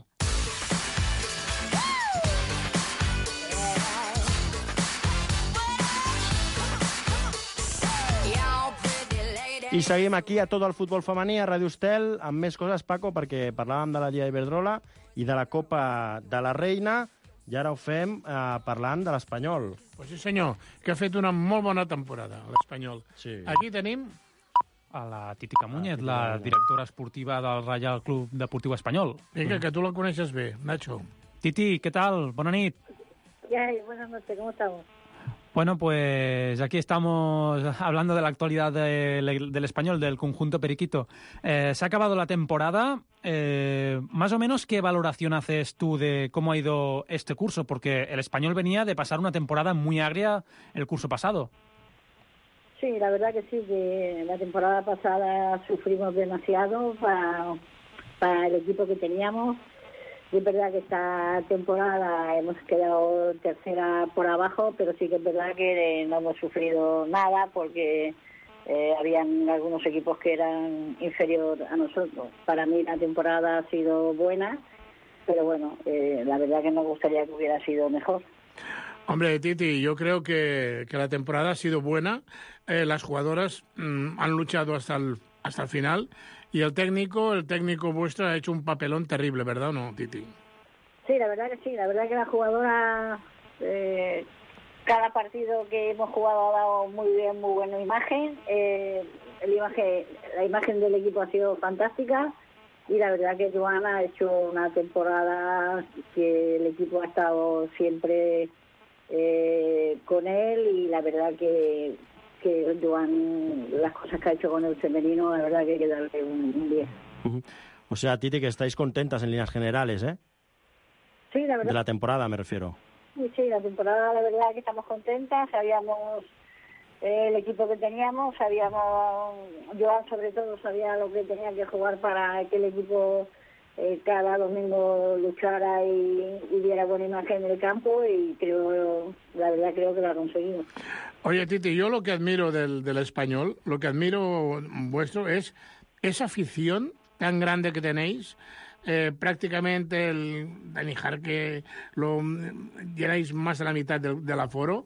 I seguim aquí a tot el futbol femení, a Ràdio Estel, amb més coses, Paco, perquè parlàvem de la Lliga Iberdrola i de la Copa de la Reina, i ara ho fem eh, parlant de l'Espanyol. Pues sí, senyor, que ha fet una molt bona temporada, l'Espanyol. Sí. Aquí tenim a la Titi Camúñez, la directora esportiva del Reial Club Deportiu Espanyol. Vinga, que tu la coneixes bé, Nacho. Titi, ¿qué tal? Bona nit. Ya, buenas noches, ¿cómo estamos? Bueno, pues aquí estamos hablando de la actualidad de, del Español, del conjunto periquito. Eh, se ha acabado la temporada. Eh, más o menos, ¿qué valoración haces tú de cómo ha ido este curso? Porque el Español venía de pasar una temporada muy agria el curso pasado. Sí, la verdad que sí, que la temporada pasada sufrimos demasiado para, para el equipo que teníamos. Y es verdad que esta temporada hemos quedado tercera por abajo, pero sí que es verdad que no hemos sufrido nada porque eh, habían algunos equipos que eran inferiores a nosotros. Para mí la temporada ha sido buena, pero bueno, eh, la verdad que nos gustaría que hubiera sido mejor. Hombre, Titi, yo creo que, que la temporada ha sido buena. Eh, las jugadoras mmm, han luchado hasta el, hasta el final. Y el técnico, el técnico vuestro ha hecho un papelón terrible, ¿verdad o no, Titi? Sí, la verdad que sí. La verdad que la jugadora, eh, cada partido que hemos jugado ha dado muy bien, muy buena imagen. Eh, el imagen. La imagen del equipo ha sido fantástica. Y la verdad que Joana ha hecho una temporada que el equipo ha estado siempre eh, con él. Y la verdad que... que Joan, las cosas que ha hecho con el femenino, la verdad que hay que darle un, un diez. Uh-huh. O sea, Titi, que estáis contentas en líneas generales, ¿eh? Sí, la verdad. De la temporada, me refiero. Sí, sí, la temporada, la verdad que estamos contentas. Sabíamos eh, el equipo que teníamos, sabíamos, Joan sobre todo sabía lo que tenía que jugar para que el equipo eh, cada domingo luchara y, y diera buena imagen en el campo, y creo, la verdad creo que lo ha conseguido. Oye, Titi, yo lo que admiro del, del Español, lo que admiro vuestro es esa afición tan grande que tenéis. Eh, prácticamente el Dani Jarque lo llenáis más de la mitad del, del aforo.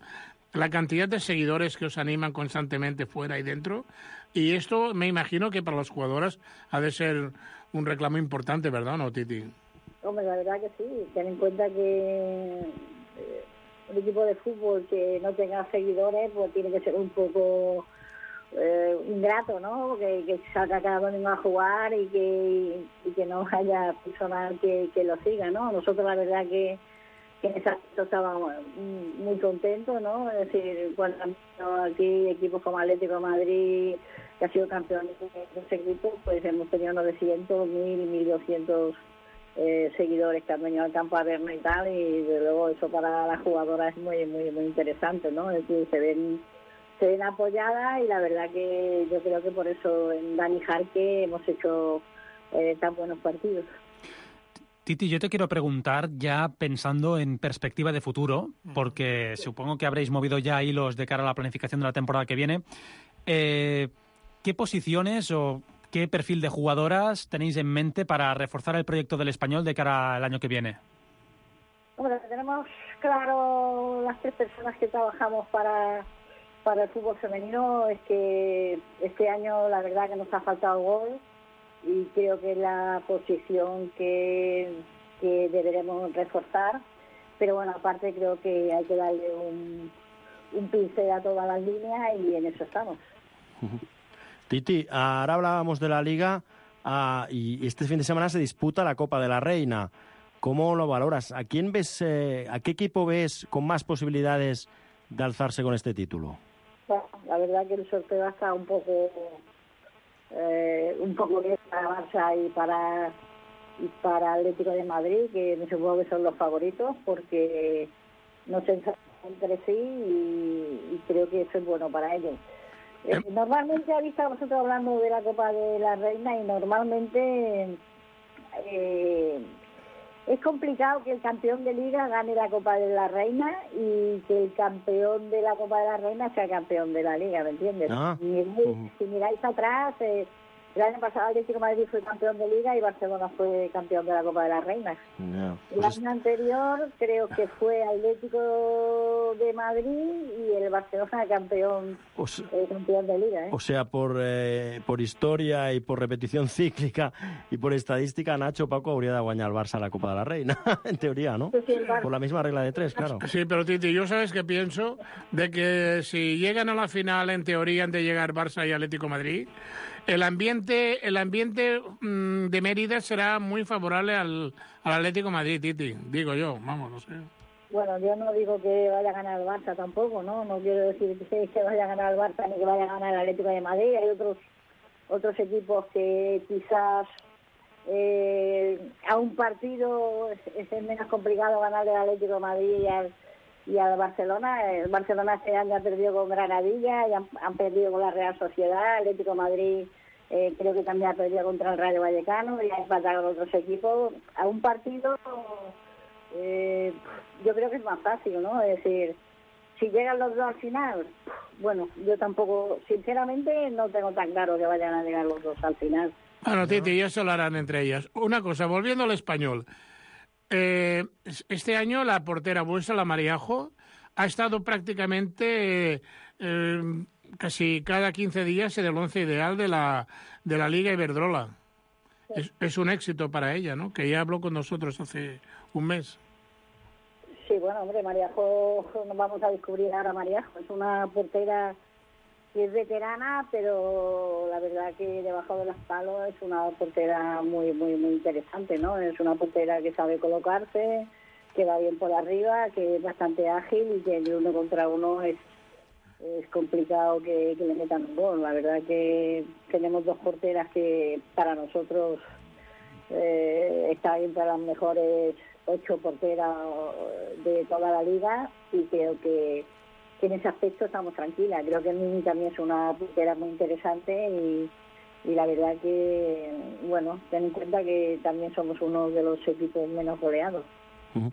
La cantidad de seguidores que os animan constantemente fuera y dentro. Y esto me imagino que para las jugadoras ha de ser un reclamo importante, ¿verdad, no, Titi? Hombre, la verdad que sí. Ten en cuenta que... Eh, un equipo de fútbol que no tenga seguidores, pues tiene que ser un poco eh, ingrato, ¿no? Que, que salga cada domingo a jugar y que, y que no haya personal que, que lo siga, ¿no? Nosotros la verdad que, que en ese aspecto estábamos muy contentos, ¿no? Es decir, cuando aquí equipos como Atlético de Madrid, que ha sido campeón de ese equipo, pues hemos tenido novecientos, mil, mil doscientos Eh, seguidores que han venido al campo a vernos y tal, y de luego eso para las jugadoras es muy muy muy interesante, ¿no? Es decir, se ven se ven apoyadas, y la verdad que yo creo que por eso en Dani Jarque hemos hecho eh, tan buenos partidos. Titi, yo te quiero preguntar, ya pensando en perspectiva de futuro, porque supongo que habréis movido ya hilos de cara a la planificación de la temporada que viene, eh, ¿qué posiciones o qué perfil de jugadoras tenéis en mente para reforzar el proyecto del Español de cara al año que viene? Bueno, tenemos claro las tres personas que trabajamos para, para el fútbol femenino. Es que este año la verdad que nos ha faltado gol, y creo que es la posición que, que deberemos reforzar. Pero bueno, aparte creo que hay que darle un, un pincel a todas las líneas, y en eso estamos. Uh-huh. Titi, ahora hablábamos de la Liga uh, y este fin de semana se disputa la Copa de la Reina. ¿Cómo lo valoras? ¿A quién ves, eh, a qué equipo ves con más posibilidades de alzarse con este título? Bueno, la verdad que el sorteo está un poco eh, un poco bien para Barça y para y para Atlético de Madrid, que me supongo que son los favoritos, porque no se enfrentan entre sí, y, y creo que eso es bueno para ellos. Eh, normalmente, habéis estado vosotros hablando de la Copa de la Reina, y normalmente eh, es complicado que el campeón de Liga gane la Copa de la Reina y que el campeón de la Copa de la Reina sea campeón de la Liga, ¿me entiendes? Ah. Si, miráis, si miráis atrás, eh, el año pasado Atlético de Madrid fue campeón de Liga y Barcelona fue campeón de la Copa de la Reina. No, el pues año anterior creo que fue Atlético de Madrid y el Barcelona campeón, o sea, eh, campeón de Liga. ¿eh? O sea, por, eh, por historia y por repetición cíclica y por estadística, Nacho, Paco, hauria de guanyar el Barça la Copa de la Reina, en teoría, ¿no? Sí, sí, el Barça. Por la misma regla de tres, claro. Sí, pero Titi, yo sabes que pienso de que si llegan a la final, en teoría, han de llegar Barça y Atlético de Madrid, el ambiente, el ambiente mmm, de Mérida será muy favorable al, al Atlético de Madrid, Titi, digo yo, vamos, no sé. Bueno, yo no digo que vaya a ganar el Barça tampoco, ¿no? No quiero decir que, que vaya a ganar el Barça ni que vaya a ganar el Atlético de Madrid. Hay otros otros equipos que quizás eh, a un partido es, es menos complicado ganarle al Atlético de Madrid y al, y al Barcelona. El Barcelona este año ha perdido con Granadilla y han, han perdido con la Real Sociedad. El Atlético de Madrid eh, creo que también ha perdido contra el Rayo Vallecano y ha empatado con otros equipos. A un partido... Eh, yo creo que es más fácil, ¿no? Es decir, si llegan los dos al final, bueno, yo tampoco, sinceramente, no tengo tan claro que vayan a llegar los dos al final. Bueno, Titi, ya se lo harán entre ellas. Una cosa, volviendo al Español. Eh, este año la portera vuestra, la Mariajo, ha estado prácticamente eh, casi cada quince días en el once ideal de la, de la Liga Iberdrola. Sí. Es, es un éxito para ella, ¿no? Que ya habló con nosotros hace un mes. Sí, bueno, hombre, Mariajo, nos vamos a descubrir ahora Mariajo. Es una portera que es veterana, pero la verdad que debajo de los palos es una portera muy, muy, muy interesante, ¿no? Es una portera que sabe colocarse, que va bien por arriba, que es bastante ágil y que de uno contra uno es, es complicado que, que le metan un gol. La verdad que tenemos dos porteras que para nosotros eh, están entre las mejores ocho porteras de toda la liga y creo que, que en ese aspecto estamos tranquilas. Creo que Mimi también es una portera muy interesante y, y la verdad que, bueno, ten en cuenta que también somos uno de los equipos menos goleados. Uh-huh.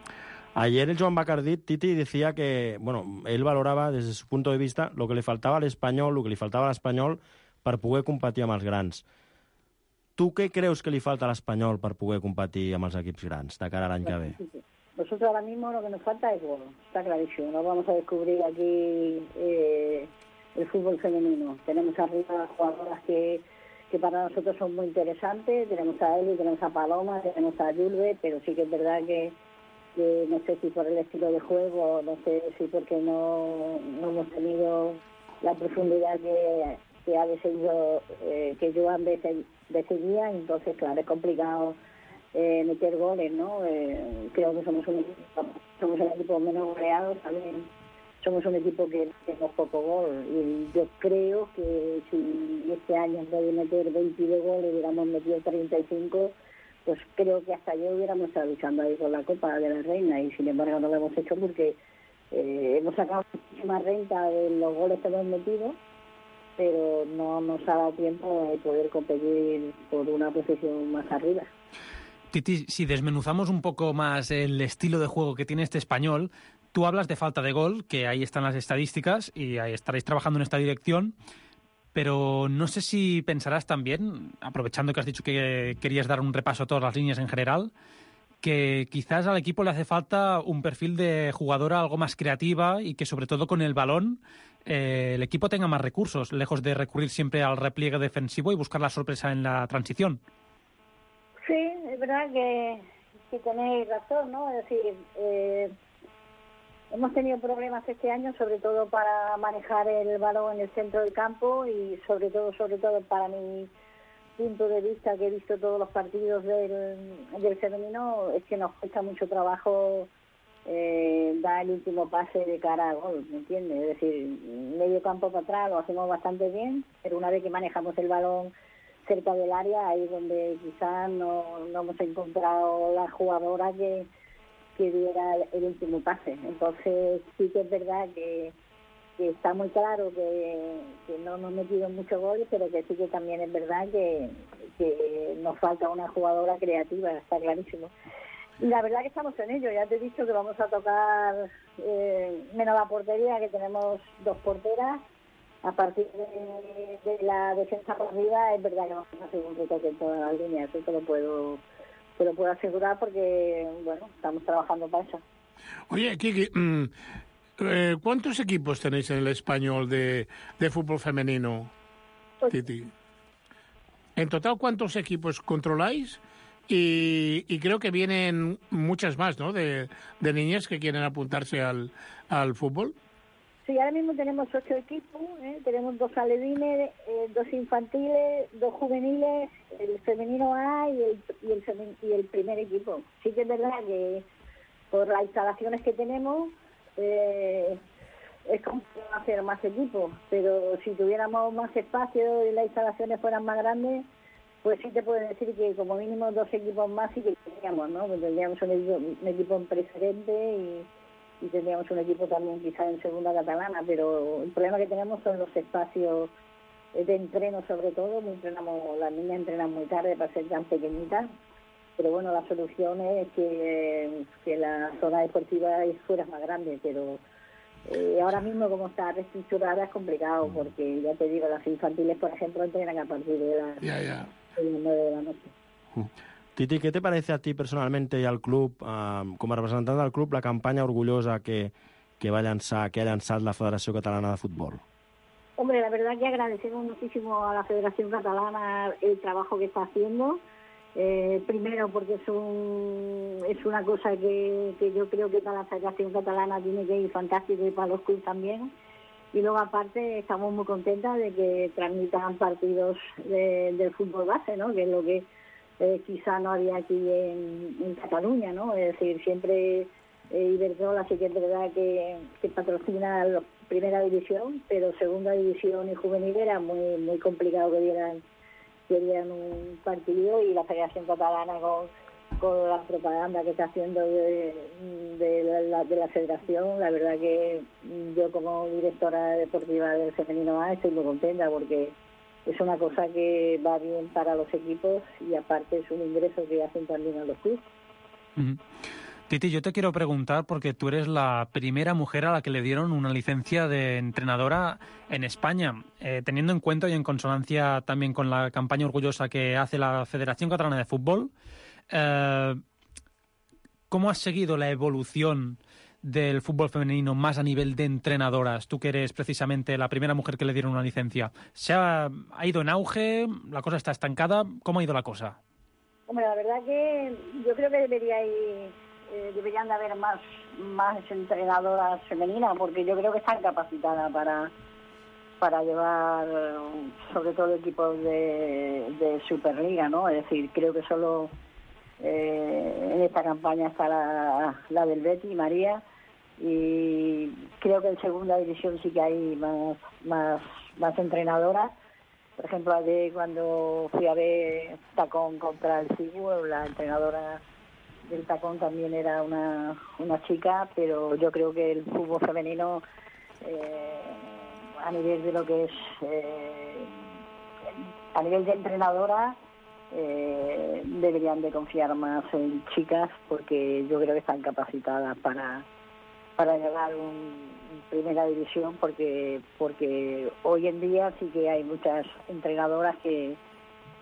Ayer el Joan Bacardí, Titi, decía que, bueno, él valoraba desde su punto de vista lo que le faltava a l'Espanyol, lo que li faltava a l'Espanyol per poder competir amb els grans. Tu què creus que li falta a l'Espanyol per poder competir amb els equips grans de cara a l'any que ve? Nosotros ahora mismo lo que nos falta es gol, está clarísimo. No vamos a descubrir aquí eh, el fútbol femenino. Tenemos arriba jugadoras que, que para nosotros son muy interesantes. Tenemos a Eli, tenemos a Paloma, tenemos a Julve, pero sí que es verdad que, que no sé si por el estilo de juego, no sé si porque no, no hemos tenido la profundidad que, que ha decidido eh, que Joan de seguía, entonces claro, es complicado eh, meter goles, ¿no? Eh, creo que somos un equipo, somos el equipo menos goleado, también somos un equipo que tenemos poco gol y yo creo que si este año en vez de meter veintidós goles hubiéramos metido treinta y cinco, pues creo que hasta yo hubiéramos estado luchando ahí con la Copa de la Reina y sin embargo no lo hemos hecho porque eh, hemos sacado muchísima renta de los goles que hemos metido, pero no nos ha dado tiempo de poder competir por una posición más arriba. Titi, si desmenuzamos un poco más el estilo de juego que tiene este Español, tú hablas de falta de gol, que ahí están las estadísticas y ahí estaréis trabajando en esta dirección, pero no sé si pensarás también, aprovechando que has dicho que querías dar un repaso a todas las líneas en general, que quizás al equipo le hace falta un perfil de jugadora algo más creativa y que sobre todo con el balón eh, el equipo tenga más recursos, lejos de recurrir siempre al repliegue defensivo y buscar la sorpresa en la transición. Sí, es verdad que, que tenéis razón, ¿no? Es decir, eh, hemos tenido problemas este año, sobre todo para manejar el balón en el centro del campo y sobre todo, sobre todo para mi punto de vista, que he visto todos los partidos del, del femenino, es que nos cuesta mucho trabajo eh, dar el último pase de cara a gol, ¿me entiendes? Es decir, medio campo para atrás lo hacemos bastante bien, pero una vez que manejamos el balón cerca del área, ahí es donde quizás no, no hemos encontrado la jugadora que, que diera el, el último pase. Entonces sí que es verdad que, que está muy claro que, que no hemos metido muchos goles, pero que sí que también es verdad que, que nos falta una jugadora creativa, está clarísimo. Y la verdad que estamos en ello. Ya te he dicho que vamos a tocar eh, menos la portería, que tenemos dos porteras. A partir de, de la defensa por arriba, es verdad que vamos a hacer un retoque en todas las líneas. Eso te lo puedo, te lo puedo asegurar porque, bueno, estamos trabajando para eso. Oye, Kiki, mmm, eh, ¿cuántos equipos tenéis en el Español de, de fútbol femenino, pues, Titi? En total, ¿cuántos equipos controláis? Y, y creo que vienen muchas más, ¿no?, de, de niñas que quieren apuntarse al, al fútbol. Sí, ahora mismo tenemos ocho equipos, ¿eh? Tenemos dos alevines, eh, dos infantiles, dos juveniles, el femenino A y el, y, el femen, y el primer equipo. Sí que es verdad que por las instalaciones que tenemos eh, es complicado hacer más equipos, pero si tuviéramos más espacio y las instalaciones fueran más grandes, pues sí te puedo decir que como mínimo dos equipos más sí que tendríamos, ¿no? Pues tendríamos un equipo, un equipo en preferente y... y tendríamos un equipo también quizá en segunda catalana, pero el problema que tenemos son los espacios de entreno, sobre todo. Entrenamos, las niñas entrenan muy tarde para ser tan pequeñitas, pero bueno, la solución es que, que la zona deportiva fuera más grande, pero eh, ahora mismo como está reestructurada es complicado, porque ya te digo, las infantiles, por ejemplo, entrenan a partir de las yeah, yeah. nueve de la noche. Uh. Titi, ¿qué te parece a ti personalmente y al club, eh, com a representant del club, la campanya orgullosa que, que va llançar, que ha llançat la Federació Catalana de Futbol? Hombre, la verdad que agradecemos muchísimo a la Federación Catalana el trabajo que está haciendo. Eh, primero porque es, un, es una cosa que, que yo creo que para la Federación Catalana tiene que ir fantástico y para los clubes también. Y luego aparte estamos muy contentas de que transmitan partidos de, del fútbol base, ¿no? Que es lo que Eh, quizá no había aquí en, en Cataluña, ¿no? Es decir, siempre eh, Iberdrola sí que es verdad que, que patrocina la primera división, pero segunda división y juvenil era muy muy complicado que dieran, que dieran un partido, y la Federación Catalana con, con la propaganda que está haciendo de, de, la, de la Federación, la verdad que yo como directora deportiva del Femenino A estoy muy contenta porque es una cosa que va bien para los equipos y aparte es un ingreso que hacen también a los clubes. Uh-huh. Titi, yo te quiero preguntar porque tú eres la primera mujer a la que le dieron una licencia de entrenadora en España, eh, teniendo en cuenta y en consonancia también con la campaña orgullosa que hace la Federación Catalana de Fútbol. Eh, ¿Cómo has seguido la evolución del fútbol femenino más a nivel de entrenadoras? Tú que eres precisamente la primera mujer que le dieron una licencia. ¿Se ha, ha ido en auge? ¿La cosa está estancada? ¿Cómo ha ido la cosa? Hombre, la verdad que yo creo que debería ir, eh, deberían de haber más, más entrenadoras femeninas, porque yo creo que están capacitadas para, para llevar sobre todo equipos de, de Superliga, ¿no? Es decir, creo que solo eh, en esta campaña está la, la del Betis, María, y creo que en segunda división sí que hay más más más entrenadoras. Por ejemplo, ayer cuando fui a ver Tacón contra el Cigüe, la entrenadora del Tacón también era una una chica, pero yo creo que el fútbol femenino eh, a nivel de lo que es eh, a nivel de entrenadora eh, deberían de confiar más en chicas, porque yo creo que están capacitadas para para llegar un primera división, porque porque hoy en día sí que hay muchas entrenadoras que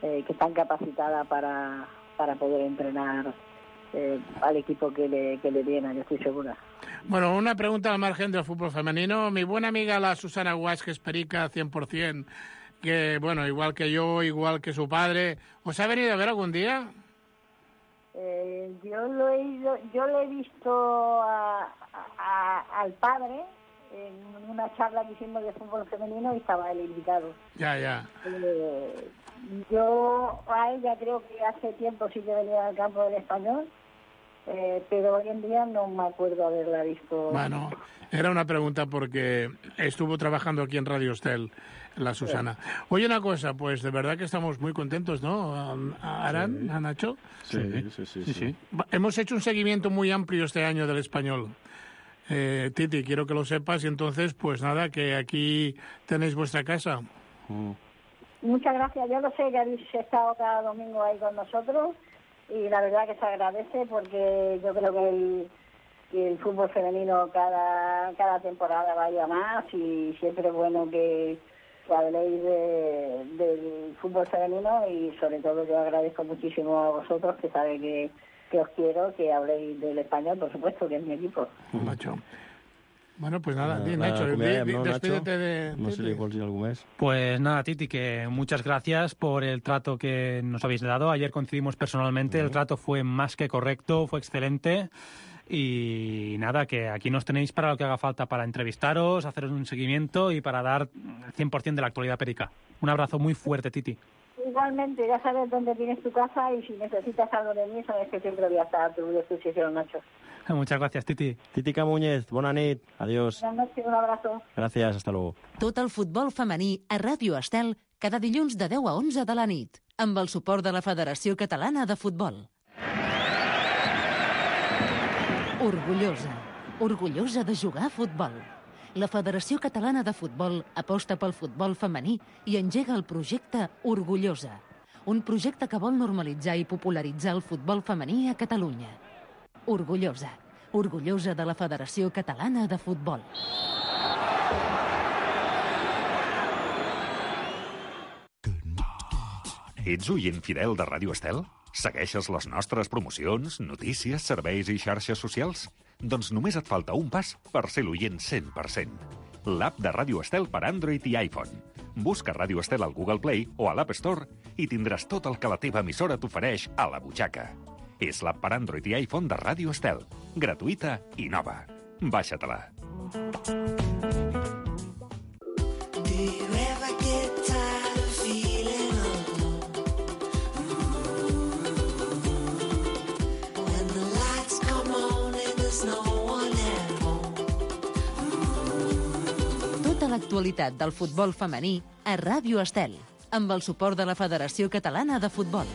eh, que están capacitadas para para poder entrenar eh, al equipo que le que le viene, yo estoy segura. Bueno, una pregunta al margen del fútbol femenino. Mi buena amiga la Susana Guas, que es perica cien por ciento, que bueno, igual que yo, igual que su padre, ¿os ha venido a ver algún día? Eh, yo lo he ido, yo le he visto a, a, al padre en una charla que hicimos de fútbol femenino y estaba el invitado. Ya, ya. Eh, yo a ella creo que hace tiempo sí que venía al campo del Español, eh, pero hoy en día no me acuerdo haberla visto. Bueno, era una pregunta porque estuvo trabajando aquí en Radio Estel, la Susana. Oye, una cosa, pues de verdad que estamos muy contentos, ¿no? ¿A Aran, sí. a Nacho? Sí sí, sí, sí, sí. Hemos hecho un seguimiento muy amplio este año del Español. Eh, Titi, quiero que lo sepas, y entonces, pues nada, que aquí tenéis vuestra casa. Mm. Muchas gracias, yo lo sé que habéis estado cada domingo ahí con nosotros. y la verdad que se agradece porque yo creo que el, que el fútbol femenino cada, cada temporada vaya más y siempre es bueno que, que habléis de, del fútbol femenino y sobre todo yo agradezco muchísimo a vosotros que sabéis que, que os quiero, que habléis del español, por supuesto, que es mi equipo. Nacho. Bueno, pues nada, La- di, la Nacho, di, acomiadem, di, no, despídete Nacho? de... No sé si le vols dir algo més. Pues nada, Titi, que muchas gracias por el trato que nos habéis dado. Ayer coincidimos personalmente, el trato fue más que correcto, fue excelente. Y nada, que aquí nos tenéis para lo que haga falta, para entrevistaros, haceros un seguimiento y para dar el cien por ciento de la actualidad perica. Un abrazo muy fuerte, Titi. Igualmente, ya sabes dónde tienes tu casa y si necesitas algo de mí, sabes que siempre voy a estar a tu disposición, Nacho. Muchas gracias, Titi. Titi Camúñez, bona nit, adiós. Buenas noches, un abrazo. Gràcies, hasta luego. Tot el futbol femení a Ràdio Estel cada dilluns de deu a onze de la nit, amb el suport de la Federació Catalana de Futbol. Orgullosa, orgullosa de jugar a futbol. La Federació Catalana de Futbol aposta pel futbol femení i engega el projecte Orgullosa, un projecte que vol normalitzar i popularitzar el futbol femení a Catalunya. Orgullosa, orgullosa de la Federació Catalana de Futbol. Ets oient fidel de Ràdio Estel? Segueixes les nostres promocions, notícies, serveis i xarxes socials? Doncs només et falta un pas per ser l'oient cent per cent. L'app de Ràdio Estel per Android i iPhone. Busca Ràdio Estel al Google Play o a l'App Store i tindràs tot el que la teva emissora t'ofereix a la butxaca. És l'app per Android i iPhone de Ràdio Estel. Gratuïta i nova. Baixa-te-la. Tota l'actualitat del futbol femení a Ràdio Estel, amb el suport de la Federació Catalana de Futbol.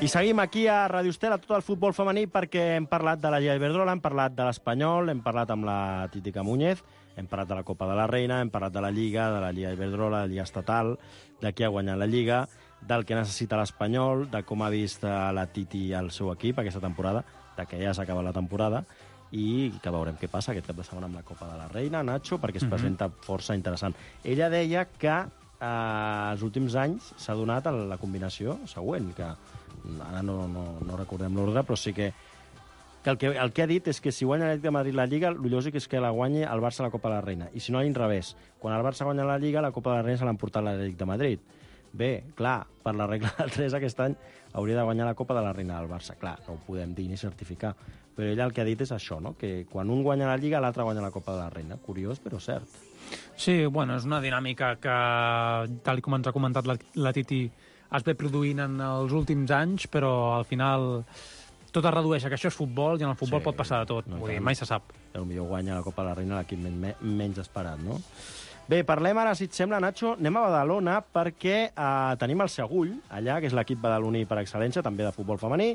I seguim aquí a Ràdio Estel, a tot el futbol femení, perquè hem parlat de la Lliga Iberdrola, hem parlat de l'Espanyol, hem parlat amb la Titi Camúñez, hem parlat de la Copa de la Reina, hem parlat de la Lliga, de la Lliga Iberdrola, de la Lliga Estatal, de qui ha guanyat la Lliga, del que necessita l'Espanyol, de com ha vist la Titi al seu equip aquesta temporada, de que ja s'ha acabat la temporada, i que veurem què passa aquest cap de setmana amb la Copa de la Reina, Nacho, perquè es Mhm. presenta força interessant. Ella deia que eh, els últims anys s'ha donat la combinació següent, que ara no, no, no recordem l'ordre, però sí que, que, el que el que ha dit és que si guanya l'Atlètic de Madrid la Lliga, el lògic és que la guanyi el Barça a la Copa de la Reina. I si no, a l'inrevés. Quan el Barça guanya la Lliga, la Copa de la Reina se l'ha emportat l'Atlètic de Madrid. Bé, clar, per la regla del tres aquest any hauria de guanyar la Copa de la Reina del Barça. Clar, no ho podem dir ni certificar. Però ella el que ha dit és això, no? Que quan un guanya la Lliga, l'altre guanya la Copa de la Reina. Curiós, però cert. Sí, bueno, és una dinàmica que, tal com ens ha comentat la, la Titi, es ve produint en els últims anys, però al final tot es redueix a que això és futbol i en el futbol Sí, pot passar de tot. no, Vull dir, tant. mai se sap. Potser guanya la Copa de la Reina l'equip men menys esperat, no? Bé, parlem ara, si et sembla, Nacho, anem a Badalona perquè eh, tenim el Segull, allà, que és l'equip badaloní per excel·lència, també de futbol femení,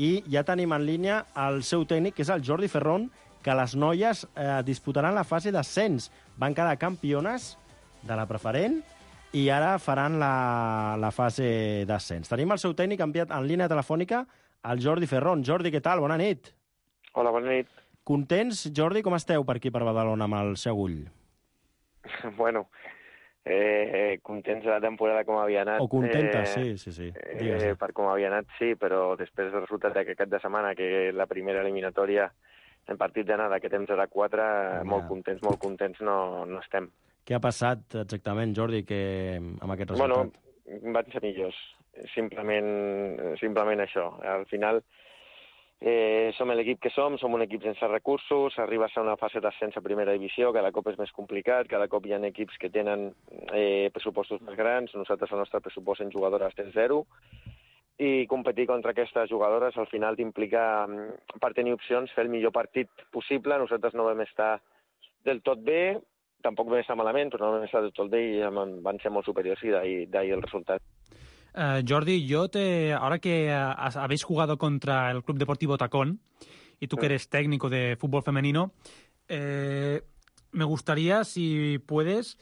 i ja tenim en línia el seu tècnic, que és el Jordi Ferrón, que les noies eh, disputaran la fase d'ascens. Van quedar campiones de la preferent i ara faran la, la fase d'ascens. Tenim el seu tècnic enviat en línia telefònica, el Jordi Ferrón. Jordi, què tal? Bona nit. Hola, bona nit. Contents, Jordi? Com esteu per aquí, per Badalona, amb el Segull? Bueno, eh, contents de la temporada com havia anat. O contentes, eh, sí, sí, sí. Eh, per com havia anat, sí, però després del resultat d'aquest cap de setmana, que la primera eliminatòria en partit d'anada, que temps era quatre, Ja. molt contents, molt contents no, no estem. Què ha passat exactament, Jordi, que amb aquest resultat? Bueno, van ser millors, simplement, simplement això. Al final eh, som l'equip que som, som un equip sense recursos, arribes a una fase d'ascens a primera divisió, cada cop és més complicat, cada cop hi ha equips que tenen eh, pressupostos més grans, nosaltres el nostre pressupost en jugadores és zero, i competir contra aquestes jugadores al final t'implica, per tenir opcions, fer el millor partit possible. Nosaltres no vam estar del tot bé, tampoc vam estar malament, però no vam estar del tot bé i van ser molt superiors i d'ahir el resultat. Uh, Jordi, yo te, ahora que has, habéis jugado contra el Club Deportivo Tacón, y tú que eres técnico de fútbol femenino, eh, me gustaría, si puedes,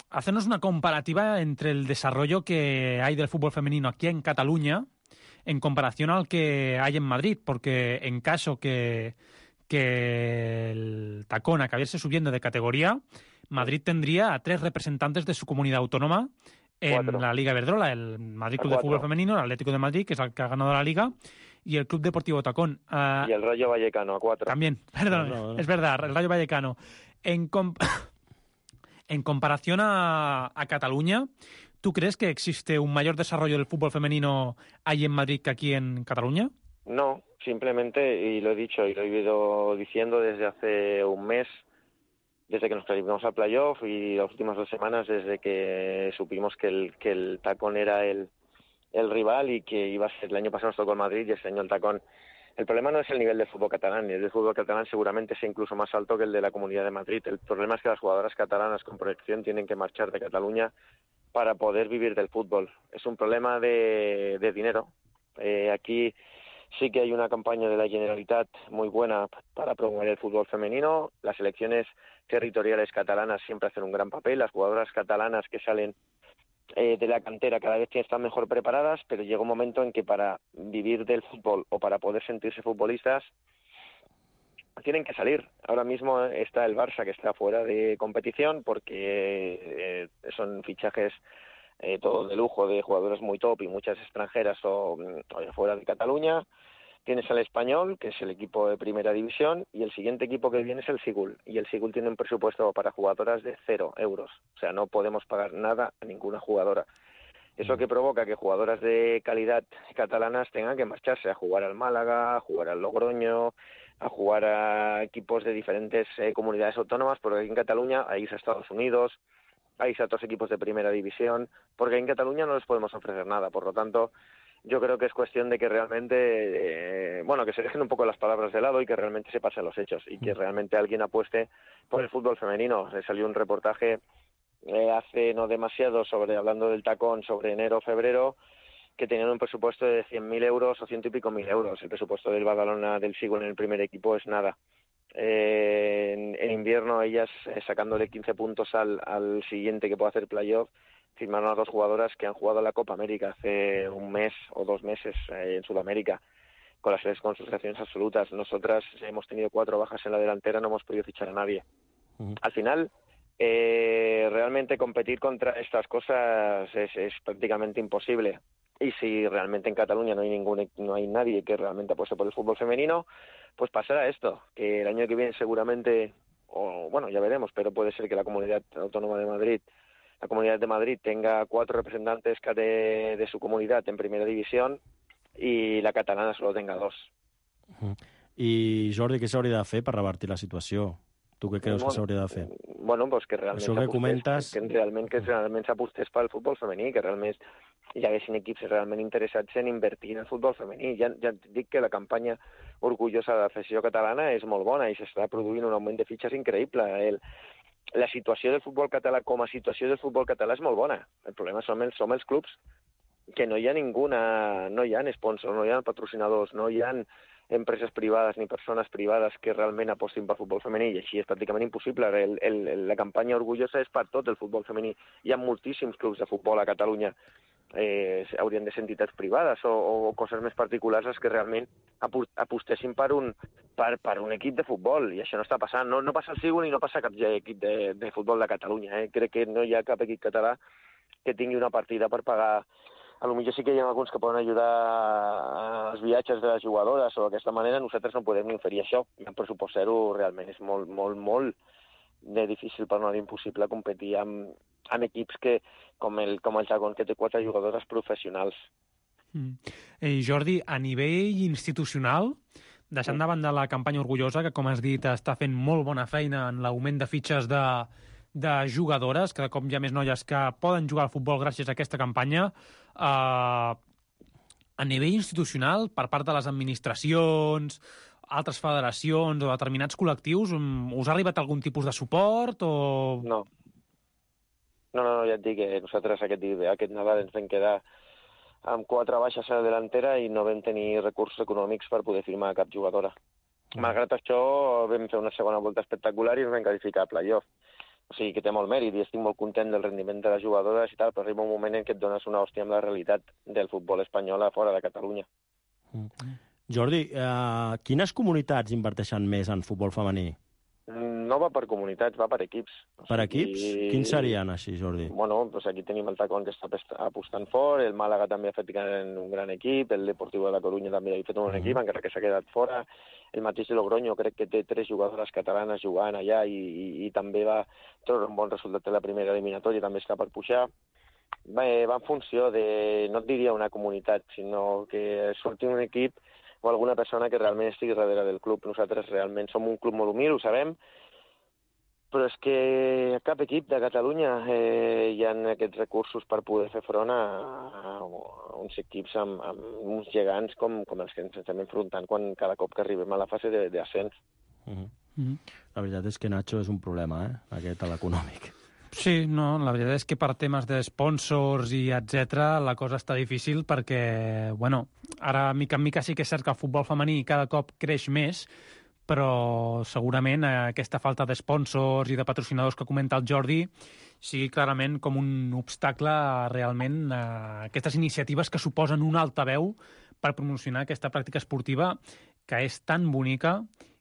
hacernos una comparativa entre el desarrollo que hay del fútbol femenino aquí en Cataluña en comparación al que hay en Madrid, porque en caso que, que el Tacón acabase subiendo de categoría, Madrid tendría a tres representantes de su comunidad autónoma en Cuatro. la Liga Iberdrola, el Madrid Club de Fútbol Femenino, el Atlético de Madrid, que es el que ha ganado la Liga, y el Club Deportivo Tacón. Uh, y el Rayo Vallecano, a cuatro. También, perdón, no, no. es verdad, el Rayo Vallecano. En, comp en comparación a, a Cataluña, ¿tú crees que existe un mayor desarrollo del fútbol femenino ahí en Madrid que aquí en Cataluña? No, simplemente, y lo he dicho y lo he ido diciendo desde hace un mes, desde que nos clasificamos al playoff y las últimas dos semanas desde que supimos que el, que el Tacón era el, el rival y que iba a ser, el año pasado nos tocó el Madrid y este año el Tacón. El problema no es el nivel del fútbol catalán, el del fútbol catalán seguramente es incluso más alto que el de la Comunidad de Madrid. El problema es que las jugadoras catalanas con proyección tienen que marchar de Cataluña para poder vivir del fútbol. Es un problema de, de dinero. Eh, aquí sí que hay una campaña de la Generalitat muy buena para promover el fútbol femenino. Las selecciones territoriales catalanas siempre hacen un gran papel. Las jugadoras catalanas que salen eh, de la cantera cada vez están mejor preparadas, pero llega un momento en que para vivir del fútbol o para poder sentirse futbolistas tienen que salir. Ahora mismo está el Barça que está fuera de competición porque eh, son fichajes eh, todos de lujo de jugadoras muy top y muchas extranjeras o, o fuera de Cataluña. Tienes al Español, que es el equipo de primera división, y el siguiente equipo que viene es el Sigul. Y el Sigul tiene un presupuesto para jugadoras de cero euros. O sea, no podemos pagar nada a ninguna jugadora. Eso que provoca que jugadoras de calidad catalanas tengan que marcharse a jugar al Málaga, a jugar al Logroño, a jugar a equipos de diferentes eh, comunidades autónomas, porque aquí en Cataluña hay a Estados Unidos, hay a otros equipos de primera división, porque en Cataluña no les podemos ofrecer nada. Por lo tanto, yo creo que es cuestión de que realmente, eh, bueno, que se dejen un poco las palabras de lado y que realmente se pasen los hechos y que realmente alguien apueste por el fútbol femenino. Se salió un reportaje eh, hace no demasiado sobre, hablando del Tacón, sobre enero o febrero, que tenían un presupuesto de cien mil euros o ciento y pico mil euros. El presupuesto del Badalona del Sigul en el primer equipo es nada. Eh, en, en invierno ellas eh, sacándole quince puntos al, al siguiente que pueda hacer playoff, firmaron a dos jugadoras que han jugado la Copa América hace un mes o dos meses eh, en Sudamérica con las con sus selecciones absolutas. Nosotras hemos tenido cuatro bajas en la delantera, no hemos podido fichar a nadie. Uh-huh. Al final, eh, realmente competir contra estas cosas es, es prácticamente imposible. Y si realmente en Cataluña no hay ningún, no hay nadie que realmente apueste por el fútbol femenino, pues pasará esto, que el año que viene seguramente, o bueno, ya veremos, pero puede ser que la Comunidad Autónoma de Madrid, la Comunidad de Madrid tenga cuatro representantes de, de su comunidad en primera división i la catalana solo tenga dos. Uh-huh. I Jordi, què s'hauria de fer per revertir la situació? Tu què creus bueno, que s'hauria de fer? Bueno, pues que realment Això que comentes... que realment que realment s'apostés pel futbol femení, que realment hi haguessin equips realment interessats en invertir en el futbol femení. Ja, ja dic que la campanya orgullosa de la Federació Catalana és molt bona i s'està produint un augment de fitxes increïble. El, la situació del futbol català com a situació del futbol català és molt bona. El problema som els, som els clubs, que no hi ha ninguna, no hi ha sponsors, no hi ha patrocinadors, no hi ha empreses privades ni persones privades que realment apostin pel futbol femení, i així és pràcticament impossible. El, el, la campanya orgullosa és per tot el futbol femení. Hi ha moltíssims clubs de futbol a Catalunya. Eh, haurien de ser entitats privades o, o coses més particulars que realment apostessin per un, per, per un equip de futbol, i això no està passant. No, no passa al Sigul i no passa cap equip de, de futbol de Catalunya. Eh? Crec que no hi ha cap equip català que tingui una partida per pagar. A lo millor sí que hi ha alguns que poden ajudar als viatges de les jugadores o d'aquesta manera. Nosaltres no podem ni oferir això. El pressupost zero realment és molt, molt, molt de difícil, per no dir impossible, competir amb, amb equips que, com el, com el Tacón, que té quatre jugadores professionals. Mm. Eh, Jordi, a nivell institucional, deixant de banda la campanya orgullosa, que com has dit està fent molt bona feina en l'augment de fitxes de, de jugadores, cada cop hi ha més noies que poden jugar al futbol gràcies a aquesta campanya, eh, a nivell institucional, per part de les administracions, altres federacions o determinats col·lectius, us ha arribat algun tipus de suport o...? No. No, no, no, ja et dic que nosaltres aquest, aquest Nadal ens vam quedar amb quatre baixes a la delantera i no vam tenir recursos econòmics per poder firmar cap jugadora. Mm. Malgrat això, vam fer una segona volta espectacular i ens vam qualificar a playoff. o sigui que té molt mèrit i estic molt content del rendiment de les jugadores i tal, però arriba un moment en què et dones una hòstia amb la realitat del futbol espanyol a fora de Catalunya. Mm. Jordi, eh, quines comunitats inverteixen més en futbol femení? No va per comunitats, va per equips. O per sigui, equips? Quins serien així, Jordi? Bueno, doncs aquí tenim el Tacón, que està apostant fort, el Màlaga també ha fet un gran equip, el Deportivo de la Coruña també ha fet un bon equip, uh-huh. encara que s'ha quedat fora. El mateix Logroño crec que té tres jugadores catalanes jugant allà i, i, i també va treure un bon resultat de la primera eliminatòria, també està per pujar. Va, va en funció de, no et diria una comunitat, sinó que surti un equip o alguna persona que realment estigui darrere del club. Nosaltres realment som un club molt humil, ho sabem, però és que a cap equip de Catalunya eh, hi ha aquests recursos per poder fer front a, a, a uns equips amb, amb uns gegants com, com els que ens estem enfrontant quan cada cop que arribem a la fase d'ascens. Uh-huh. Uh-huh. La veritat és que Nacho és un problema, eh? Aquest, l'econòmic. Sí, no, la veritat és que per temes de sponsors i etcètera la cosa està difícil perquè, bueno, ara mica en mica sí que és cert que el futbol femení cada cop creix més, però segurament aquesta falta de sponsors i de patrocinadors que comenta el Jordi sigui clarament com un obstacle realment a aquestes iniciatives que suposen un altaveu per promocionar aquesta pràctica esportiva que és tan bonica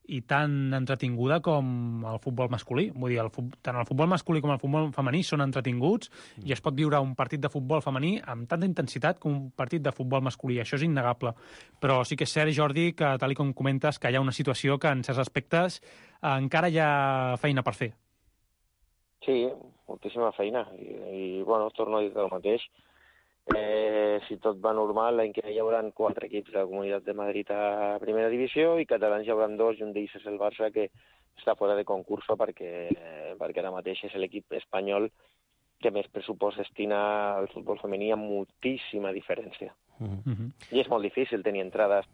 i tan entretinguda com el futbol masculí. Vull dir, el, tant el futbol masculí com el futbol femení són entretinguts mm. i es pot viure un partit de futbol femení amb tanta intensitat com un partit de futbol masculí. Això és innegable. Però sí que és cert, Jordi, que tal com comentes, que hi ha una situació que en certs aspectes eh, encara hi ha feina per fer. Sí, moltíssima feina. I, i bueno, torno a dir el mateix. Eh, si tot va normal, l'any que ve hi haurà quatre equips de la Comunitat de Madrid a primera divisió i catalans hi haurà dos, i un d'ells és el Barça, que està fora de concurso perquè, perquè ara mateix és l'equip espanyol que més pressupost destina al futbol femení amb moltíssima diferència. Uh-huh. I és molt difícil tenir entrades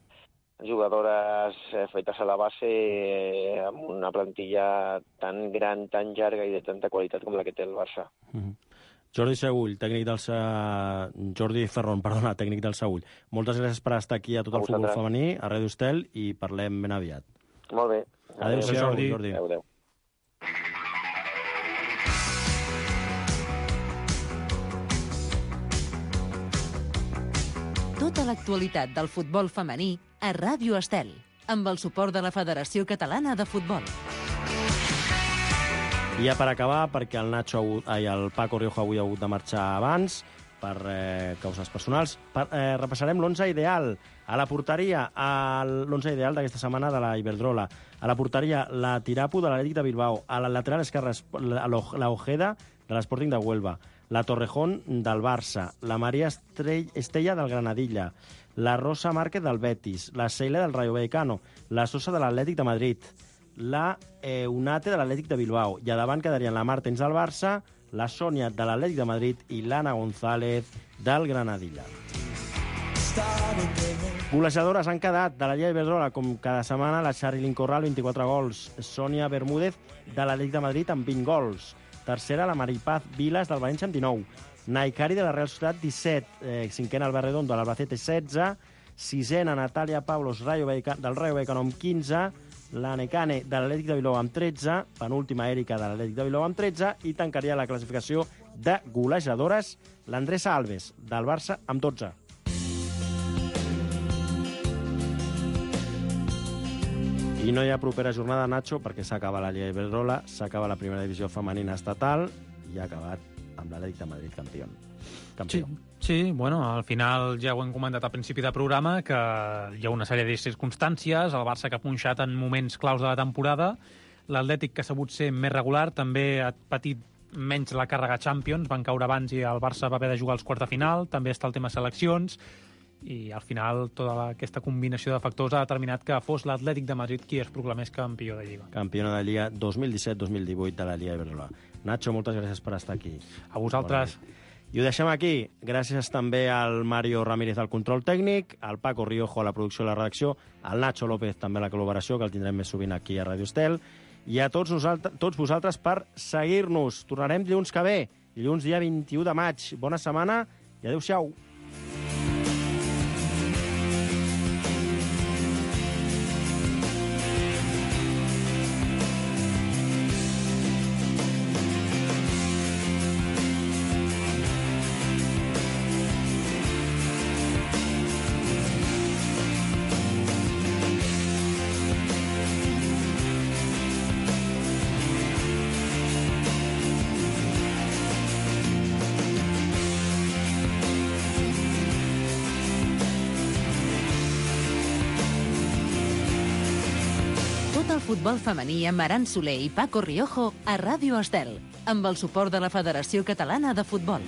jugadores fetes a la base eh, amb una plantilla tan gran, tan llarga i de tanta qualitat com la que té el Barça. Uh-huh. Jordi Segull, tècnic del uh, Jordi Ferron, perdona, tècnic del Segull. Moltes gràcies per estar aquí a tot el futbol femení, a Ràdio Estel, i parlem ben aviat. Molt bé. Adéu-siau, Jordi. Jordi. Adéu, adéu. Tota l'actualitat del futbol femení a Ràdio Estel, amb el suport de la Federació Catalana de Futbol. I ja per acabar, perquè el Nacho i el Paco Rioja avui ha hagut de marxar abans per eh, causes personals, per, eh, repassarem l'onze ideal. A la porteria, l'onze ideal d'aquesta setmana de la Iberdrola. A la porteria, la Tirapu de l'Atlètic de Bilbao. A la lateral esquerra, la, la Ojeda de l'Sporting de Huelva. La Torrejón del Barça. La Maria Estella del Granadilla. La Rosa Márquez del Betis. La Ceila del Rayo Vallecano. La Sosa de l'Atlètic de Madrid. La Eunate de l'Atlètic de Bilbao. I a davant quedarien la Martens del Barça, la Sònia de l'Atlètic de Madrid i l'Anna González del Granadilla. Golejadores han quedat de la Lliga Iberdrola, com cada setmana, la Charilyn Corral, vint-i-quatre gols, Sònia Bermúdez de l'Atlètic de Madrid amb vint gols. Tercera, la Maripaz Vilas del València amb dinou. Naikari de la Real Societat, disset. Eh, cinquena, Albert Redondo de l'Albacete, setze. Sisena, Natàlia Pavlos Rayo del Rayo Vallecano amb quinze. La Necane de l'Atlètic de Bilbao amb tretze, penúltima Èrica de l'Atlètic de Bilbao amb tretze, i tancaria la classificació de golejadores l'Andressa Alves, del Barça, amb dotze. I no hi ha propera jornada, Nacho, perquè s'acaba la Lliga Iberdrola, s'acaba la primera divisió femenina estatal i ha acabat amb l'Atlètic de Madrid campió. campió. Sí. Sí, bueno, al final ja ho hem comentat al principi del programa, que hi ha una sèrie de circumstàncies, el Barça que ha punxat en moments claus de la temporada, l'Atlètic que ha sabut ser més regular, també ha patit menys la càrrega Champions, van caure abans i el Barça va haver de jugar als quarts de final, també està el tema seleccions, i al final tota la, aquesta combinació de factors ha determinat que fos l'Atlètic de Madrid qui es proclamés campió de Lliga. Campiona de Lliga dos mil disset dos mil divuit de la Lliga Iberdrola. Nacho, moltes gràcies per estar aquí. A vosaltres. Bona. I ho deixem aquí. Gràcies també al Mario Ramírez al control tècnic, al Paco Riojo a la producció i la redacció, al Nacho López també a la col·laboració, que el tindrem més sovint aquí a Ràdio Estel, i a tots, nosaltres, tots vosaltres per seguir-nos. Tornarem dilluns que ve, dilluns dia vint-i-u de maig. Bona setmana i adéu-siau. del futbol femení amb Aran Soler i Paco Riojo a Ràdio Estel, amb el suport de la Federació Catalana de Futbol.